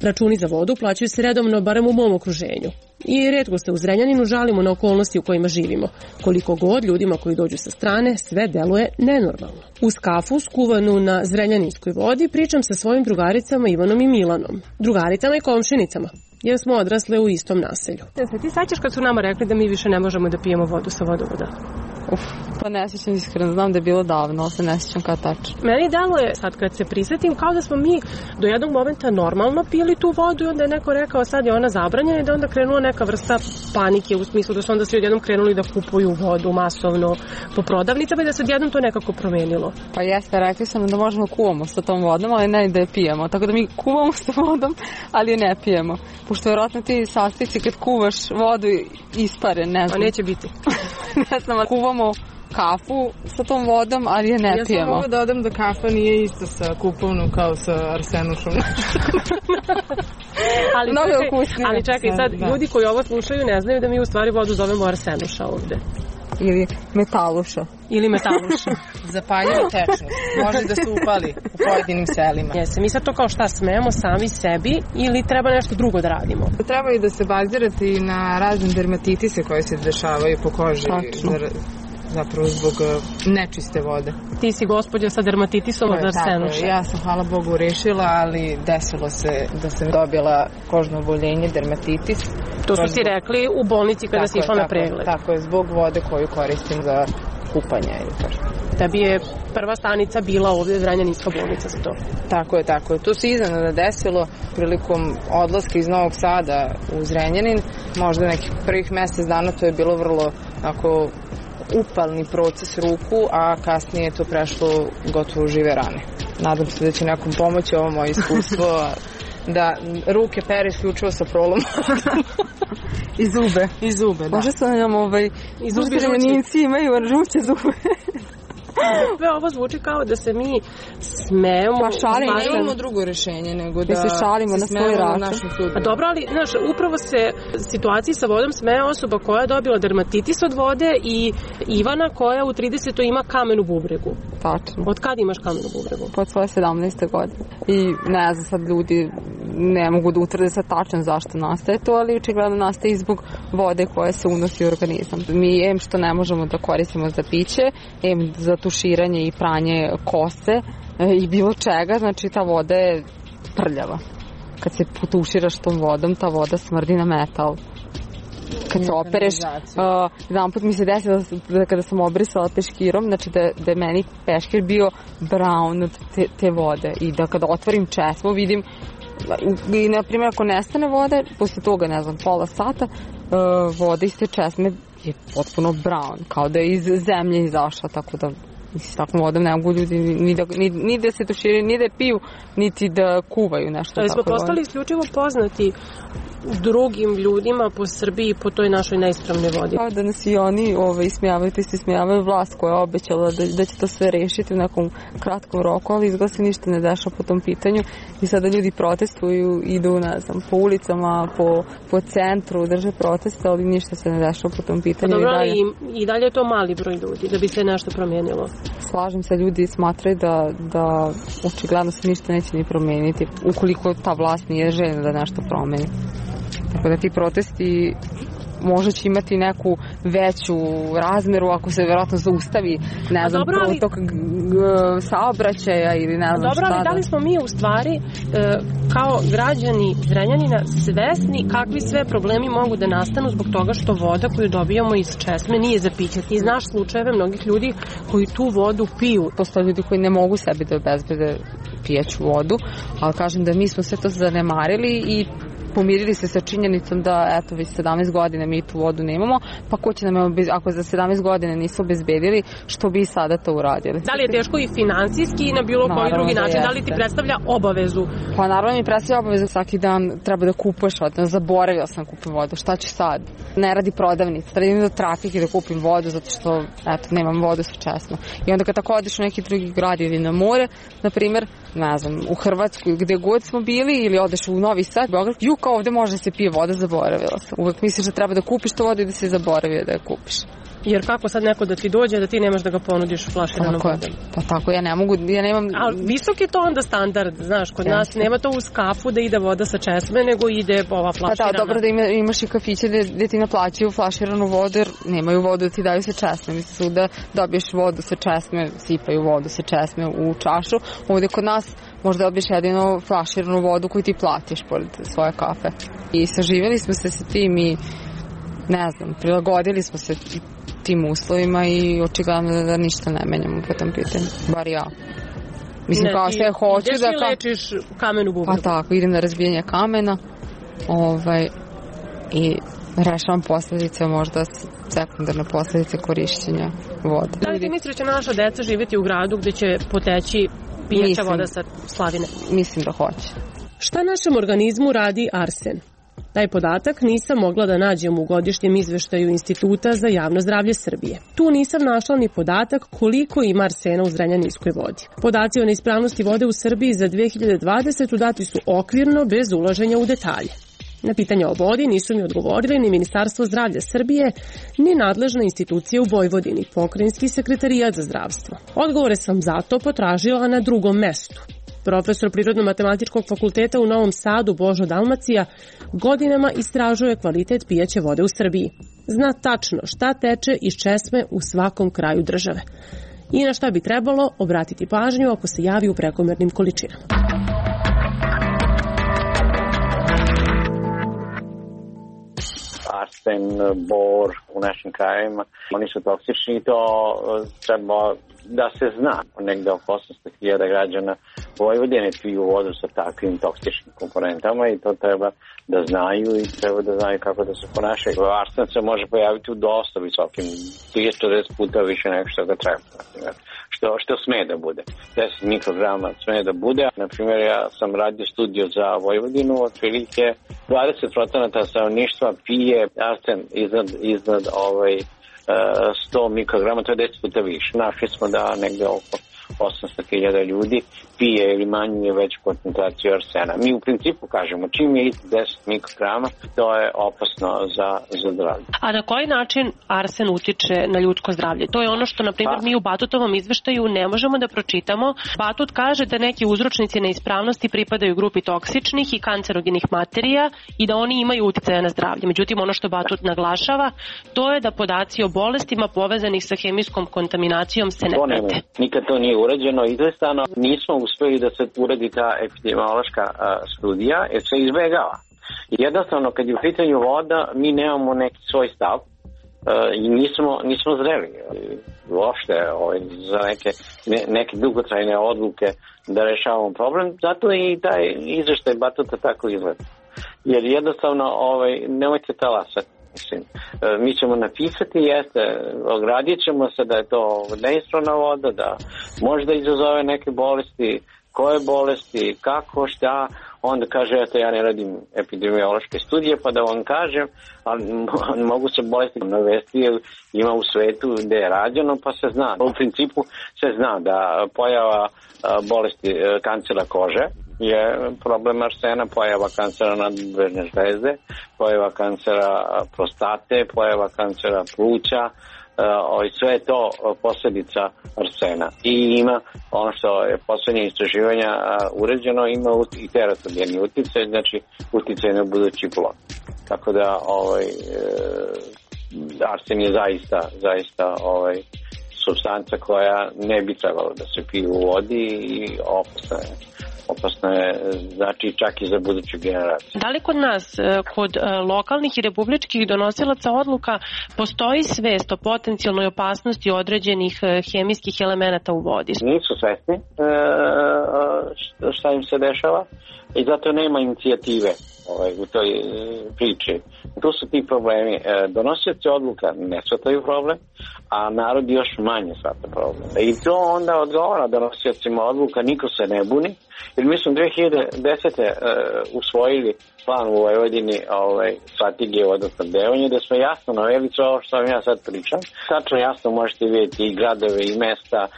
Računi za vodu plaćaju se redovno, barem u mom okruženju. I retko se u Zrenjaninu žalimo na okolnosti u kojima živimo. Koliko god ljudima koji dođu sa strane, sve deluje nenormalno. Uz kafu skuvanu na zrenjaninskoj vodi pričam sa svojim drugaricama Ivanom i Milanom. Drugaricama i komšinicama, jer smo odrasle u istom naselju. Se ti sećaš kad su nama rekli da mi više ne možemo da pijemo vodu sa vodovoda? Uf, pa ne sjećam iskreno, znam da je bilo davno, ali se ne sjećam kao tačno. Meni deluje, sad kad se prisjetim, kao da smo mi do jednog momenta normalno pili tu vodu i onda je neko rekao sad je ona zabranjena i da onda krenula neka vrsta panike u smislu da su onda svi odjednom krenuli da kupuju vodu masovno po prodavnicama i da se odjednom to nekako promenilo. Pa jeste, rekli sam da možemo kuvamo sa tom vodom, ali ne da je pijemo. Tako da mi kuvamo sa vodom, ali je ne pijemo. Pošto vjerojatno ti sastojci kad kuvaš vodu ispare, ne znam. A neće biti. Ne znam, kuvamo kafu sa tom vodom, ali je ne ja pijemo. Ja sam mogu da odam da kafa nije isto sa kupovnom kao sa arsenušom. ali, čekaj, ali čekaj, sad da. Ljudi koji ovo slušaju ne znaju da mi u stvari vodu zovemo arsenuša ovde. Ili metaluša. Ili metaluša. Zapaljiva tečnost. Može da se upali u pojedinim selima. Jeste, mi sad to kao šta smemo sami sebi ili treba nešto drugo da radimo? Treba i da se bazirate i na razne dermatitise koje se dešavaju po koži. Tačno. Zapravo zbog nečiste vode. Ti si gospođa sa dermatitisom od arsenuša. Ja sam, hvala Bogu, rešila, ali desilo se da sam dobila kožno oboljenje, dermatitis. To su ti rekli u bolnici kada si išla na pregled. Tako je, zbog vode koju koristim za kupanje. Tebi je prva stanica bila ovdje Zrenjaninska bolnica za to. Tako je, tako je. To se iznenada desilo prilikom odlaska iz Novog Sada u Zrenjanin. Možda nekih prvih mjesec dana to je bilo vrlo ako upalni proces ruku, a kasnije je to prešlo gotovo žive rane. Nadam se da će nekom pomoći ovo moje iskustvo da ruke pere isključivo sa prolom. I zube. I zube, da. Možda sam nam ovaj, Zrenjaninci imaju žuće zube. Sve ovo zvuči kao da se mi smemo... Pa šalimo, ne imamo drugo rješenje nego da, da se šalimo se na svoj račun. A dobro, ali znaš, upravo se situaciji sa vodom smeje osoba koja je dobila dermatitis od vode i Ivana koja u tridesetoj ima kamen u bubregu. Tačno. Od kad imaš kamen u bubregu? Od svoje sedamnaeste godine. I ne znam, sad ljudi ne mogu da utvrde sad tačno zašto nastaje to, ali očigledno nastaje zbog vode koja se unosi u organizam. Mi em što ne možemo da koristimo za piće, em za tuširanje i pranje kose i bilo čega, znači ta voda je prljava. Kad se potuširaš tom vodom, ta voda smrdi na metal. Kad se opereš, uh, jedan put mi se desilo da kada sam obrisala peškirom, znači da, da je meni peškir bio brown od te, te vode i da kada otvorim česmu vidim i na primjer ako nestane vode, posle toga ne znam pola sata uh, voda iz te česme je potpuno brown, kao da je iz zemlje izašla, tako da s takvom vodom ne mogu ljudi ni da, ni, ni da se tuširaju, ni da piju, niti da kuvaju nešto. Ali smo postali isključivo poznati drugim ljudima po Srbiji po toj našoj neispravnoj vodi. Kao da nas i oni ovaj, ismijavaju, ti se ismijavaju vlast koja je obećala da, da će to sve rešiti u nekom kratkom roku, ali izgleda se ništa ne dešava po tom pitanju i sada ljudi protestuju, idu, ne znam, po ulicama, po, po centru, drže proteste, ali ništa se ne dešava po tom pitanju. Pa dobro, i dalje, i, i dalje je to mali broj ljudi da bi se nešto promijenilo. Slažem se, ljudi smatraju da, da očigledno se ništa neće ni promeniti ukoliko ta vlast nije željna da nešto promeni. Tako da ti protesti možda će imati neku veću razmeru ako se vjerojatno zaustavi, ne znam, dobro, ali... protok saobraćaja ili ne znam dobro, šta. Ali da li smo mi u stvari e, kao građani Zrenjanina svesni kakvi sve problemi mogu da nastanu zbog toga što voda koju dobijamo iz česme nije za piće? Ti znaš slučajeve mnogih ljudi koji tu vodu piju. Postoje ljudi koji ne mogu sebi da obezbede pijeću vodu, ali kažem da mi smo sve to zanemarili i pomirili se sa činjenicom da eto već sedamnaest godina mi tu vodu nemamo, pa ko će nam, ako za sedamnaest godina nisu obezbedili, što bi sada to uradili? Da li je teško i finansijski i na bilo koji drugi način? Da, da li ti predstavlja obavezu? Pa naravno mi predstavlja obavezu, svaki dan treba da kupuješ vodu, zaboravila sam kupim vodu, šta ću sad? Ne radi prodavnica, treba idem do trafike da kupim vodu zato što eto, nemam vodu sa česma. I onda kad tako odeš u neki drugi grad ili na more, na primjer, ne znam, u Hrvatsku gde god smo bili ili odeš u Novi Sad, Beograd, ju kao ovde može da se pije voda, zaboravila sam. Uvek misliš da treba da kupiš tu vodu i da se zaboravio da je kupiš. Jer kako sad neko da ti dođe da ti nemaš da ga ponudiš u flaširanom vodom? Pa tako, ja ne mogu, ja nemam... A visok je to onda standard, znaš, kod nas nema to u skafu da ide voda sa česme, nego ide ova flaširana. Pa da, dobro da ima, imaš i kafiće gde ti naplaćaju flaširanu vodu jer nemaju vodu da ti daju sa česme. Mislim da dobiješ vodu sa česme, sipaju vodu sa česme u čašu. Ovde kod nas možda dobiješ jedino flaširanu vodu koju ti platiš pored svoje kafe. I saživjeli smo se sa tim i ne znam, prilagodili smo se tim uslovima i očigledno da, da ništa ne menjamo po tom pitanju, bar ja. Mislim ne, kao sve hoću da... da... Ideš i lečiš kamenu bubnu. Pa tako, idem na razbijanje kamena ovaj, i rešavam posljedice, možda sekundarne posljedice korišćenja vode. Da li ti misliš da će naša deca živjeti u gradu gdje će poteći pijaća voda sa slavine? Mislim da hoće. Šta našem organizmu radi arsen? Taj podatak nisam mogla da nađem u godišnjem izveštaju Instituta za javno zdravlje Srbije. Tu nisam našla ni podatak koliko ima arsena u zrenjaninskoj vodi. Podaci o neispravnosti vode u Srbiji za dve hiljade dvadesete. dati su okvirno bez ulaženja u detalje. Na pitanje o vodi nisu mi odgovorili ni Ministarstvo zdravlja Srbije, ni nadležna institucija u Vojvodini, Pokrajinski sekretarijat za zdravstvo. Odgovore sam zato potražila na drugom mestu. Profesor Prirodno-matematičkog fakulteta u Novom Sadu Božo Dalmacija godinama istražuje kvalitet pijaće vode u Srbiji. Zna tačno šta teče iz česme u svakom kraju države. I na šta bi trebalo obratiti pažnju ako se javi u prekomernim količinama. Arsen, bor u našim krajevima, oni su toksični i to treba da se zna. Negde oko osamsto hiljada građana Vojvodine piju vodu sa takvim toksičnim komponentama i to treba da znaju i treba da znaju kako da se ponašaju. Arsen se može pojaviti u dosta visokim, trideset do četrdeset puta više nego što ga treba. Što, što sme da bude. deset mikrograma sme da bude. Naprimjer, ja sam radio studiju za Vojvodinu, otprilike dvadeset procenata stanovništva pije arsen iznad, iznad ovaj, sto mikrograma, to je deset puta više. Našli smo da negde oko osamsto hiljada ljudi pije ili manje veću koncentraciju arsena. Mi u principu kažemo, čim je deset mikrograma, to je opasno za, za zdravlje. A na koji način arsen utiče na ljudsko zdravlje? To je ono što, na primjer, mi u Batutovom izveštaju ne možemo da pročitamo. Batut kaže da neki uzročnici neispravnosti pripadaju grupi toksičnih i kancerogenih materija i da oni imaju uticaja na zdravlje. Međutim, ono što Batut naglašava, to je da podaci o bolestima povezanih sa hemijskom kontaminacijom se ne prate. Nikad to nije urađeno izvestano. Nismo uspeli da se uradi ta epidemiološka a, studija, jer se izbegava. Jednostavno, kad je u pitanju voda, mi nemamo neki svoj stav a, i nismo, nismo zreli uopšte ovaj, za neke, ne, neke dugotrajne odluke da rešavamo problem. Zato i taj izveštaj Batuta tako izgleda. Jer jednostavno, ovaj, nemojte talasati. Mislim, mi ćemo napisati, jeste, ogradit ćemo se da je to neispravna voda, da možda izazove neke bolesti, koje bolesti, kako, šta, onda kaže, eto, ja ne radim epidemiološke studije, pa da vam kažem, ali mogu se bolesti navesti, jer ima u svetu gde je rađeno, pa se zna. U principu se zna da pojava bolesti kancera kože je problem arsena, pojava kancera nadbrežne žlezde, pojava kancera prostate, pojava kancera pluća, i sve je to posljedica arsena. I ima, ono što je poslednje istraživanja uređeno, ima i teratogeni uticaj, znači uticaj na budući plod. Tako da ovaj, arsen je zaista, zaista ovaj, supstanca koja ne bi trebalo da se pije u vodi i opasna je. Opasno je, znači čak i za buduću generaciju. Da li kod nas, kod lokalnih i republičkih donosilaca odluka, postoji svest o potencijalnoj opasnosti određenih hemijskih elemenata u vodi? Nisu svesni šta im se dešava i zato nema inicijative ovaj, u toj priči. Tu su ti problemi. Donosioci odluka ne shvataju problem, a narod još manje shvata problem. I to onda odgovara donosiocima odluka, niko se ne buni, jer mi smo dve hiljade desete. Uh, usvojili plan u Vojvodini ovaj, strategije vodosnabdevanja, gde smo jasno naveli sve ovo što vam ja sad pričam. Tačno jasno možete vidjeti i gradove i mesta uh,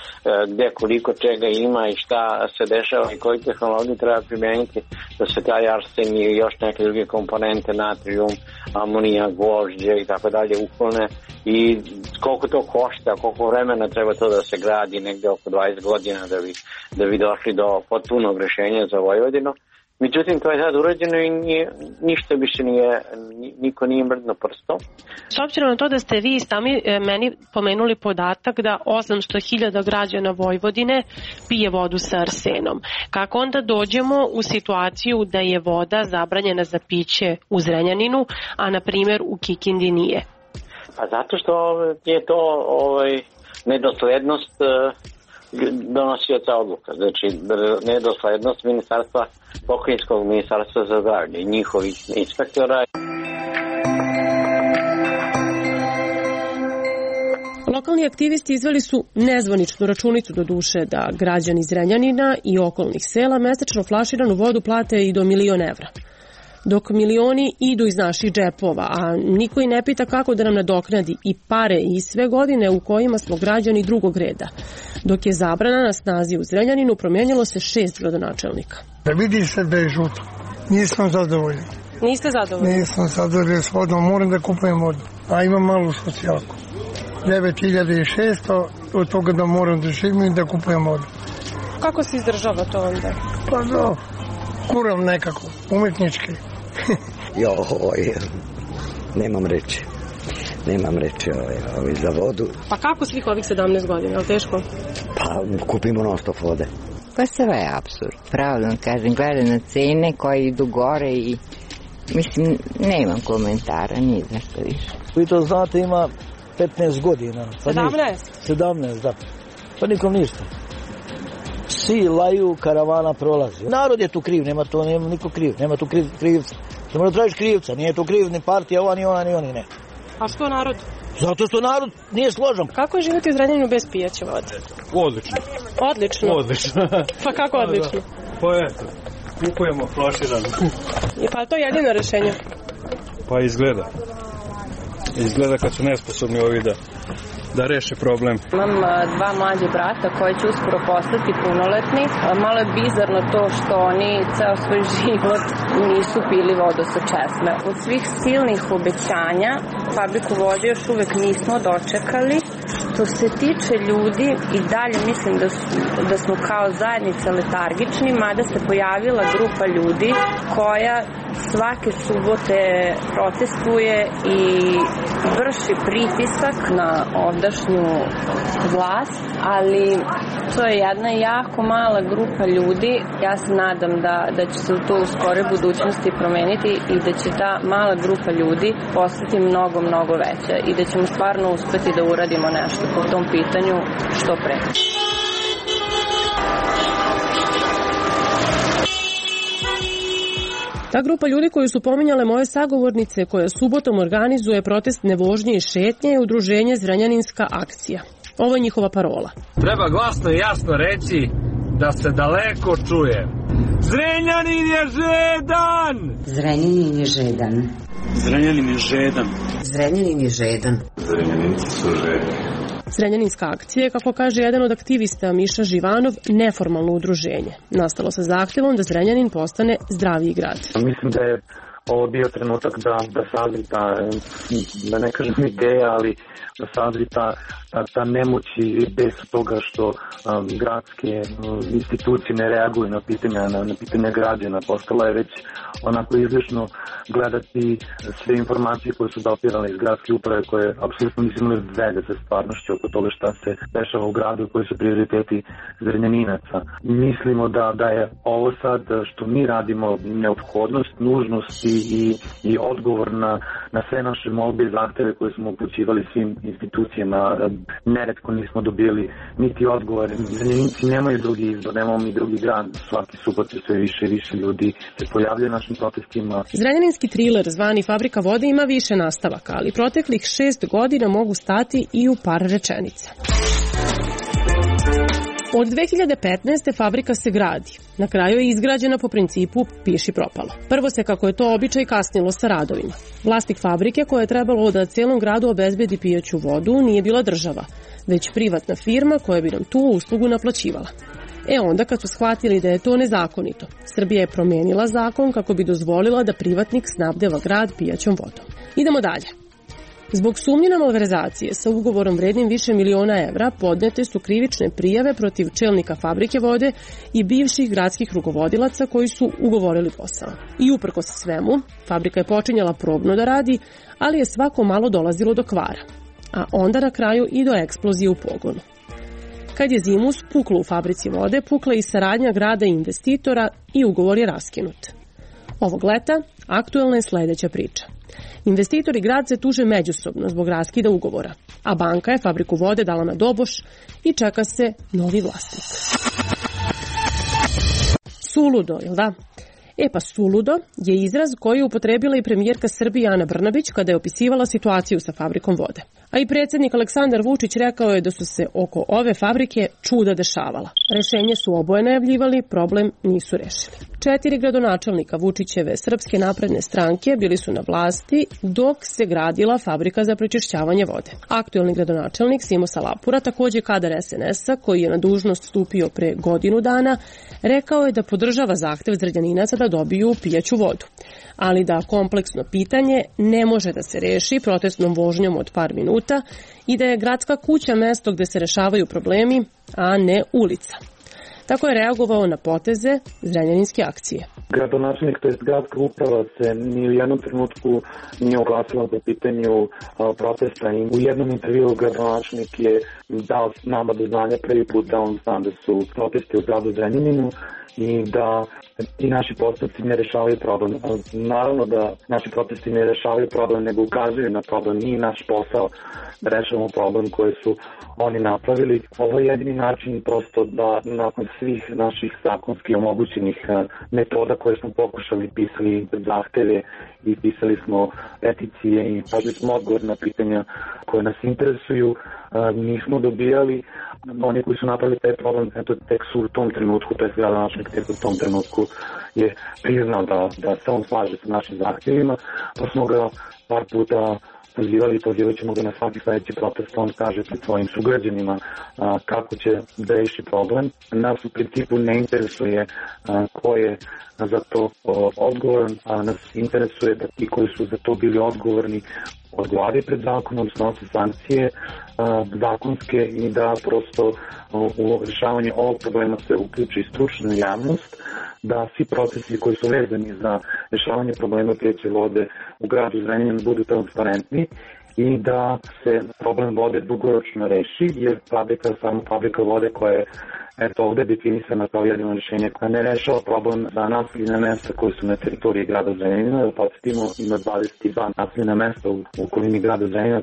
gde koliko čega ima i šta se dešava i koji tehnologiju treba primeniti da se taj arsen i još neke druge komponente, natrium, amonija, gvožđe i tako dalje uklone i koliko to košta, koliko vremena treba to da se gradi, negde oko dvadeset godina da bi, da bi došli do potpunog rešenja za Vojvodinu. Međutim, to je sad urađeno i nije, ništa više nije, niko nije mrdno prstom. S obzirom na to da ste vi sami meni pomenuli podatak da osamsto hiljada građana Vojvodine pije vodu sa arsenom, kako onda dođemo u situaciju da je voda zabranjena za piće u Zrenjaninu, a na primjer u Kikindi nije? Pa zato što je to ovaj, nedoslednost donosioca odluka, znači nedoslednost ministarstva, pokrajinskog ministarstva za zdravlje i njihovih inspektora. Lokalni aktivisti izveli su nezvaničnu računicu do duše da građani Zrenjanina i okolnih sela mesečno flaširanu vodu plate i do milion evra. Dok milioni idu iz naših džepova, a niko i ne pita kako da nam nadoknadi i pare i sve godine u kojima smo građani drugog reda. Dok je zabrana na snazi u Zrenjaninu, promijenilo se šest gradonačelnika. Da vidi se da je žuto. Nisam zadovoljan. Niste zadovoljni? Nisam zadovoljan s vodom, moram da kupujem vodu. A imam malu socijalku. devet hiljada šesto, od toga da moram da živim i da kupujem vodu. Kako se izdržava to onda? Pa da, kuram nekako, umetnički. Jo, oj, nemam reći. Nemam reći ovaj, ovaj, za vodu. Pa kako svih ovih sedamnaest godina, je li teško? Pa kupimo non stop vode. Pa sve je apsurd. Pravno kažem, gledam na cene koje idu gore i mislim, nemam komentara, nije nešto više. Vi to znate, ima petnaest godina. Pa sedamnaest? sedamnaest, da. Pa nikom ništa. Svi laju, karavana prolazi. Narod je tu kriv, nema to, nema niko kriv, nema tu kriv, krivca. Ne mora tražiš krivca, nije tu kriv ni partija, ova, ni ona, ni oni, ne. A što narod? Zato što narod nije složan. Kako je živjeti u Zrenjaninu bez pijaće vode? Odlično. Odlično? Odlično. Pa kako odlično? Pa eto, kupujemo flaširano. Pa to je jedino rešenje? Pa izgleda. Izgleda kad su nesposobni ovi da da reše problem. Imam dva mlađe brata koji će uskoro postati punoletni. Malo je bizarno to što oni ceo svoj život nisu pili vodu sa česme. Od svih silnih obećanja fabriku vode još uvek nismo dočekali. Što se tiče ljudi, i dalje mislim da, su, da smo kao zajednica letargični, mada se pojavila grupa ljudi koja svake subote protestuje i vrši pritisak na ovdašnju vlast, ali to je jedna jako mala grupa ljudi. Ja se nadam da, da će se to u skore budućnosti promeniti i da će ta mala grupa ljudi postati mnogo, mnogo veća i da ćemo stvarno uspeti da uradimo nešto po tom pitanju što pre. Ta grupa ljudi koju su pominjale moje sagovornice, koja subotom organizuje protest nevožnje i šetnje, je udruženje Zrenjaninska akcija. Ovo je njihova parola. Treba glasno i jasno reći da se daleko čuje. Zrenjanin je žedan! Zrenjanin je žedan. Zrenjanin je žedan. Zrenjanin je žedan. Zrenjaninci su žedni. Zrenjaninska akcija je, kako kaže jedan od aktivista Miša Živanov, neformalno udruženje. Nastalo sa zahtjevom da Zrenjanin postane zdraviji grad. Mislim da je ovo bio trenutak da, da sazri ta, da ne kažem ideja, ali da sazri ta, ta, ta nemoć i bes toga što um, gradske um, institucije ne reaguju na pitanja, na, na pitanja građana. Postala je već onako izlišno gledati sve informacije koje su dopirale iz gradske uprave, koje apsolutno nisu imali veze sa stvarnošću oko toga šta se dešava u gradu i koji su prioriteti Zrenjaninaca. Mislimo da, da je ovo sad što mi radimo neophodnost, nužnost i, i, i odgovor na, na sve naše molbe i zahteve koje smo upućivali svim institucijama. Neretko nismo dobili niti odgovor. Zrenjaninci nemaju drugi izbor, nemamo mi drugi grad. Svaki subot je sve više i više ljudi se pojavljaju na našim protestima. Zrenjaninski triler zvani Fabrika vode ima više nastavaka, ali proteklih šest godina mogu stati i u par rečenica. Od dve hiljade petnaeste. fabrika se gradi. Na kraju je izgrađena po principu piši propalo. Prvo se, kako je to običaj, kasnilo sa radovima. Vlasnik fabrike, koja je trebalo da celom gradu obezbedi pijaću vodu, nije bila država, već privatna firma koja bi nam tu uslugu naplaćivala. E onda, kad su shvatili da je to nezakonito, Srbija je promenila zakon kako bi dozvolila da privatnik snabdeva grad pijaćom vodom. Idemo dalje. Zbog sumnje na malverzacije sa ugovorom vrednim više miliona evra podnete su krivične prijave protiv čelnika fabrike vode i bivših gradskih rukovodilaca koji su ugovorili posao. I uprkos svemu, fabrika je počinjala probno da radi, ali je svako malo dolazilo do kvara, a onda na kraju i do eksplozije u pogonu. Kad je zimus puklo u fabrici vode, pukla i saradnja grada i investitora i ugovor je raskinut. Ovog leta aktuelna je sledeća priča. Investitor i grad se tuže međusobno zbog raskida ugovora, a banka je fabriku vode dala na doboš i čeka se novi vlasnik. Suludo, jel da? E pa suludo je izraz koji je upotrebila i premijerka Srbije Ana Brnabić kada je opisivala situaciju sa fabrikom vode. A i predsjednik Aleksandar Vučić rekao je da su se oko ove fabrike čuda dešavala. Rešenje su oboje najavljivali, problem nisu rešili. Četiri gradonačelnika Vučićeve Srpske napredne stranke bili su na vlasti dok se gradila fabrika za prečišćavanje vode. Aktuelni gradonačelnik Simo Salapura, takođe kadar es en es a, koji je na dužnost stupio pre godinu dana, rekao je da podržava zahtev Zrenjaninaca da dobiju pijaću vodu, ali da kompleksno pitanje ne može da se reši protestnom vožnjom od par minuta i da je gradska kuća mesto gde se rešavaju problemi, a ne ulica. Tako je reagovao na poteze zrenjaninske akcije. Gradonačelnik, to je gradska uprava, se ni u jednom trenutku nije oglasila po pitanju protesta i u jednom intervju gradonačelnik je dao nama do znanja prvi put da on zna da su protesti u gradu Zrenjaninu i da i naši postupci ne rešavaju problem. Naravno da naši protesti ne rešavaju problem, nego ukazuju na problem. Nije naš posao da rešavamo problem koji su oni napravili. Ovo je jedini način prosto da nakon svih naših zakonskih omogućenih metoda koje smo pokušali, pisali zahteve i pisali smo peticije i tražili smo odgovor na pitanja koje nas interesuju, nismo dobijali. Oni koji su napravili taj problem, eto, tek su u tom trenutku, to je gradonačelnik tek u tom trenutku je priznao da, da se on slaže sa našim zahtjevima, pa smo ga par puta pozivali i pozivat ćemo ga na svaki sledeći protest, on kaže pred svojim sugrađanima a, kako će da reši problem. Nas u principu ne interesuje a, ko je za to o, odgovoran, a nas interesuje da ti koji su za to bili odgovorni odgovaraju pred zakonom, snose sankcije a, zakonske i da prosto o, u rešavanje ovog problema se uključi stručna javnost, da svi procesi koji su vezani za rešavanje problema pijaće vode u gradu Zrenjaninu budu transparentni i da se problem vode dugoročno reši, jer fabrika je samo fabrika vode koja je eto ovde definisana kao jedino rešenje koja ne rešava problem za naseljena mesta koji su na teritoriji grada Zrenjanina. Da podsjetimo, ima dvadeset dva naseljena mesta u okolini grada Zrenjanina.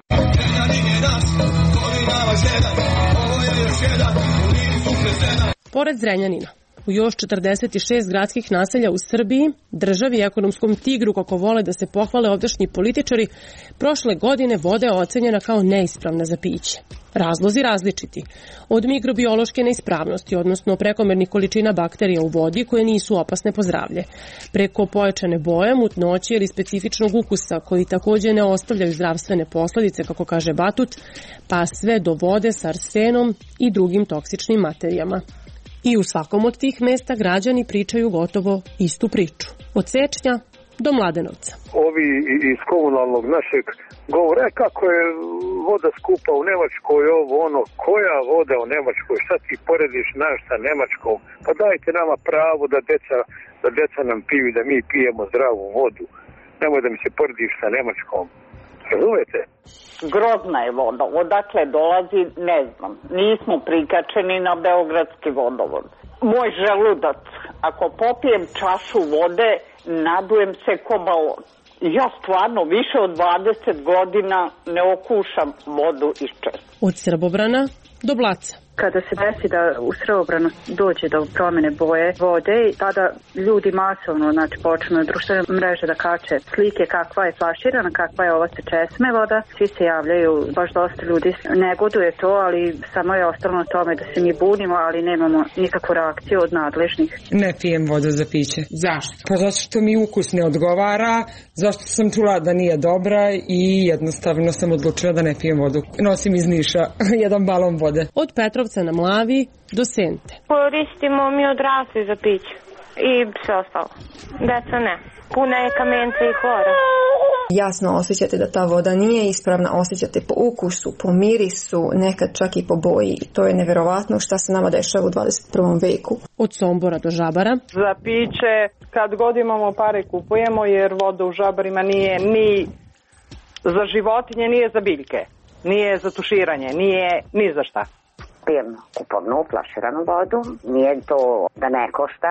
Pored Zrenjanina, u još četrdeset šest gradskih naselja u Srbiji, državi i ekonomskom tigru kako vole da se pohvale ovdašnji političari, prošle godine voda je ocenjena kao neispravna za piće. Razlozi različiti. Od mikrobiološke neispravnosti, odnosno prekomernih količina bakterija u vodi koje nisu opasne po zdravlje, preko pojačane boje, mutnoće ili specifičnog ukusa koji takođe ne ostavljaju zdravstvene posledice, kako kaže Batut, pa sve do vode sa arsenom i drugim toksičnim materijama. I u svakom od tih mesta građani pričaju gotovo istu priču. Od Sečnja do Mladenovca. Ovi iz komunalnog našeg govore kako je voda skupa u Nemačkoj, ovo ono, koja voda u Nemačkoj, šta ti porediš naš sa Nemačkom, pa dajte nama pravo da deca, da deca nam piju, da mi pijemo zdravu vodu, nemoj da mi se porediš sa Nemačkom, razumete? Grozna je voda, odakle dolazi, ne znam, nismo prikačeni na beogradski vodovod. Moj želudac, ako popijem čašu vode, nadujem se ko balon. Ja stvarno više od dvadeset godina ne okušam vodu iz česme. Od Srbobrana do Blaca. Kada se desi da u Srbobranu dođe do promene boje vode, tada ljudi masovno znači, počnu na društvene mreže da kače slike kakva je flaširana, kakva je ova se česme voda. Svi se javljaju, baš dosta ljudi negoduje to, ali samo je ostalo na tome da se mi bunimo, ali nemamo nikakvu reakciju od nadležnih. Ne pijem vodu za piće. Zašto? Pa zato što mi ukus ne odgovara, zašto sam čula da nije dobra i jednostavno sam odlučila da ne pijem vodu. Nosim iz Niša jedan balon vode. Od Petrovca na Mlavi do Sente. Koristimo mi odrasli za piće i sve ostalo. Deca ne. Puna je kamenca i hlora. Jasno osjećate da ta voda nije ispravna, osjećate po ukusu, po mirisu, nekad čak i po boji. To je neverovatno šta se nama dešava u dvadeset prvom veku. Od Sombora do Žabara. Za piće kad god imamo pare kupujemo jer voda u Žabarima nije ni za životinje, nije za biljke, nije za tuširanje, nije ni za šta. Pijem kupovnu, flaširanu vodu. Nije to da ne košta,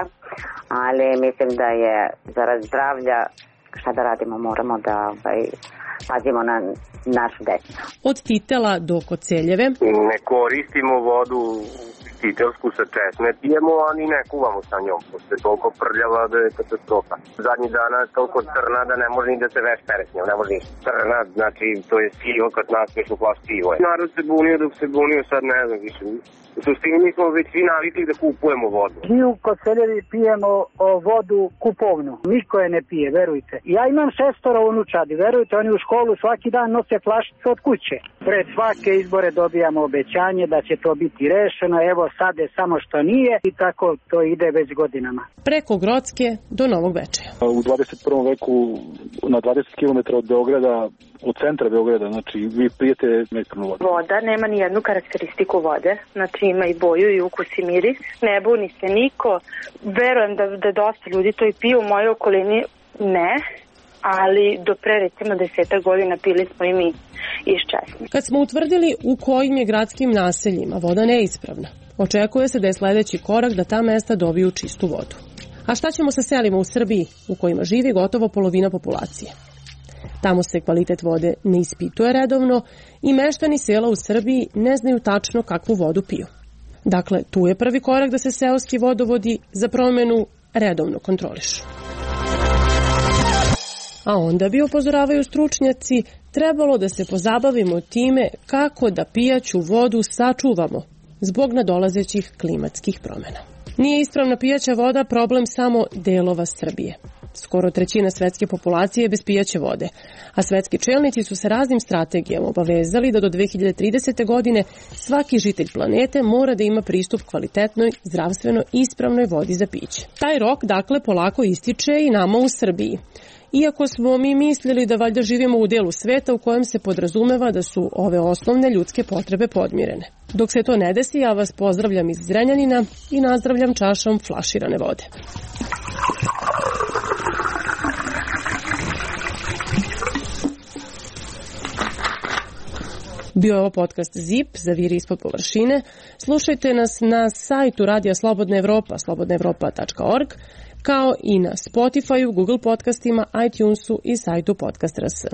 ali mislim da je zarad zdravlja, šta da radimo, moramo da ovaj, pazimo na našu decu. Od Titela do Koceljeve. Ne koristimo vodu titelsku sa česme, pijemo, a ni ne kuvamo sa njom. Pošto je toliko prljava da je katastrofa. Zadnjih dana je toliko crna da ne može ni da se veš pere s njom, ne može ni crna, znači to je sivo kad naspeš u plaš sivo. Narod se bunio dok se bunio, sad ne znam više. U suštini mi smo već svi navikli da kupujemo vodu. Mi u Koceljevi pijemo o, vodu kupovnu. Niko je ne pije, verujte. Ja imam šestoro unučadi, verujte, oni u školu svaki dan nose flašice od kuće. Pred svake izbore dobijamo obećanje da će to biti rešeno, evo sad je samo što nije i tako to ide već godinama. Preko Grocke do Novog Bečeja. U dvadeset prvom veku na dvadeset kilometara od Beograda, od centra Beograda, znači vi pijete neispravnu vodu. Voda nema ni jednu karakteristiku vode, znači ima i boju i ukus i miris, ne buni se niko, verujem da, da dosta ljudi to i piju, u mojoj okolini ne, ali do pre recimo desetak godina pili smo i mi iz česme. Kad smo utvrdili u kojim je gradskim naseljima voda neispravna, očekuje se da je sledeći korak da ta mesta dobiju čistu vodu. A šta ćemo sa selima u Srbiji u kojima živi gotovo polovina populacije? Tamo se kvalitet vode ne ispituje redovno i meštani sela u Srbiji ne znaju tačno kakvu vodu piju. Dakle, tu je prvi korak da se seoski vodovodi za promenu redovno kontrolišu. A onda bi, upozoravaju stručnjaci, trebalo da se pozabavimo time kako da pijaću vodu sačuvamo zbog nadolazećih klimatskih promena. Nije ispravna pijaća voda problem samo delova Srbije. Skoro trećina svetske populacije je bez pijaće vode, a svetski čelnici su se raznim strategijama obavezali da do dve hiljade tridesete. godine svaki žitelj planete mora da ima pristup kvalitetnoj, zdravstveno ispravnoj vodi za piće. Taj rok, dakle, polako ističe i nama u Srbiji. Iako smo mi mislili da valjda živimo u delu sveta u kojem se podrazumeva da su ove osnovne ljudske potrebe podmirene. Dok se to ne desi, ja vas pozdravljam iz Zrenjanina i nazdravljam čašom flaširane vode. Bio je ovo podcast Zip, Zaviri ispod površine. Slušajte nas na sajtu Radija Slobodna Evropa, slobodna evropa tačka org, kao i na Spotifyu, Google podcastima, iTunesu i sajtu Podcast R S.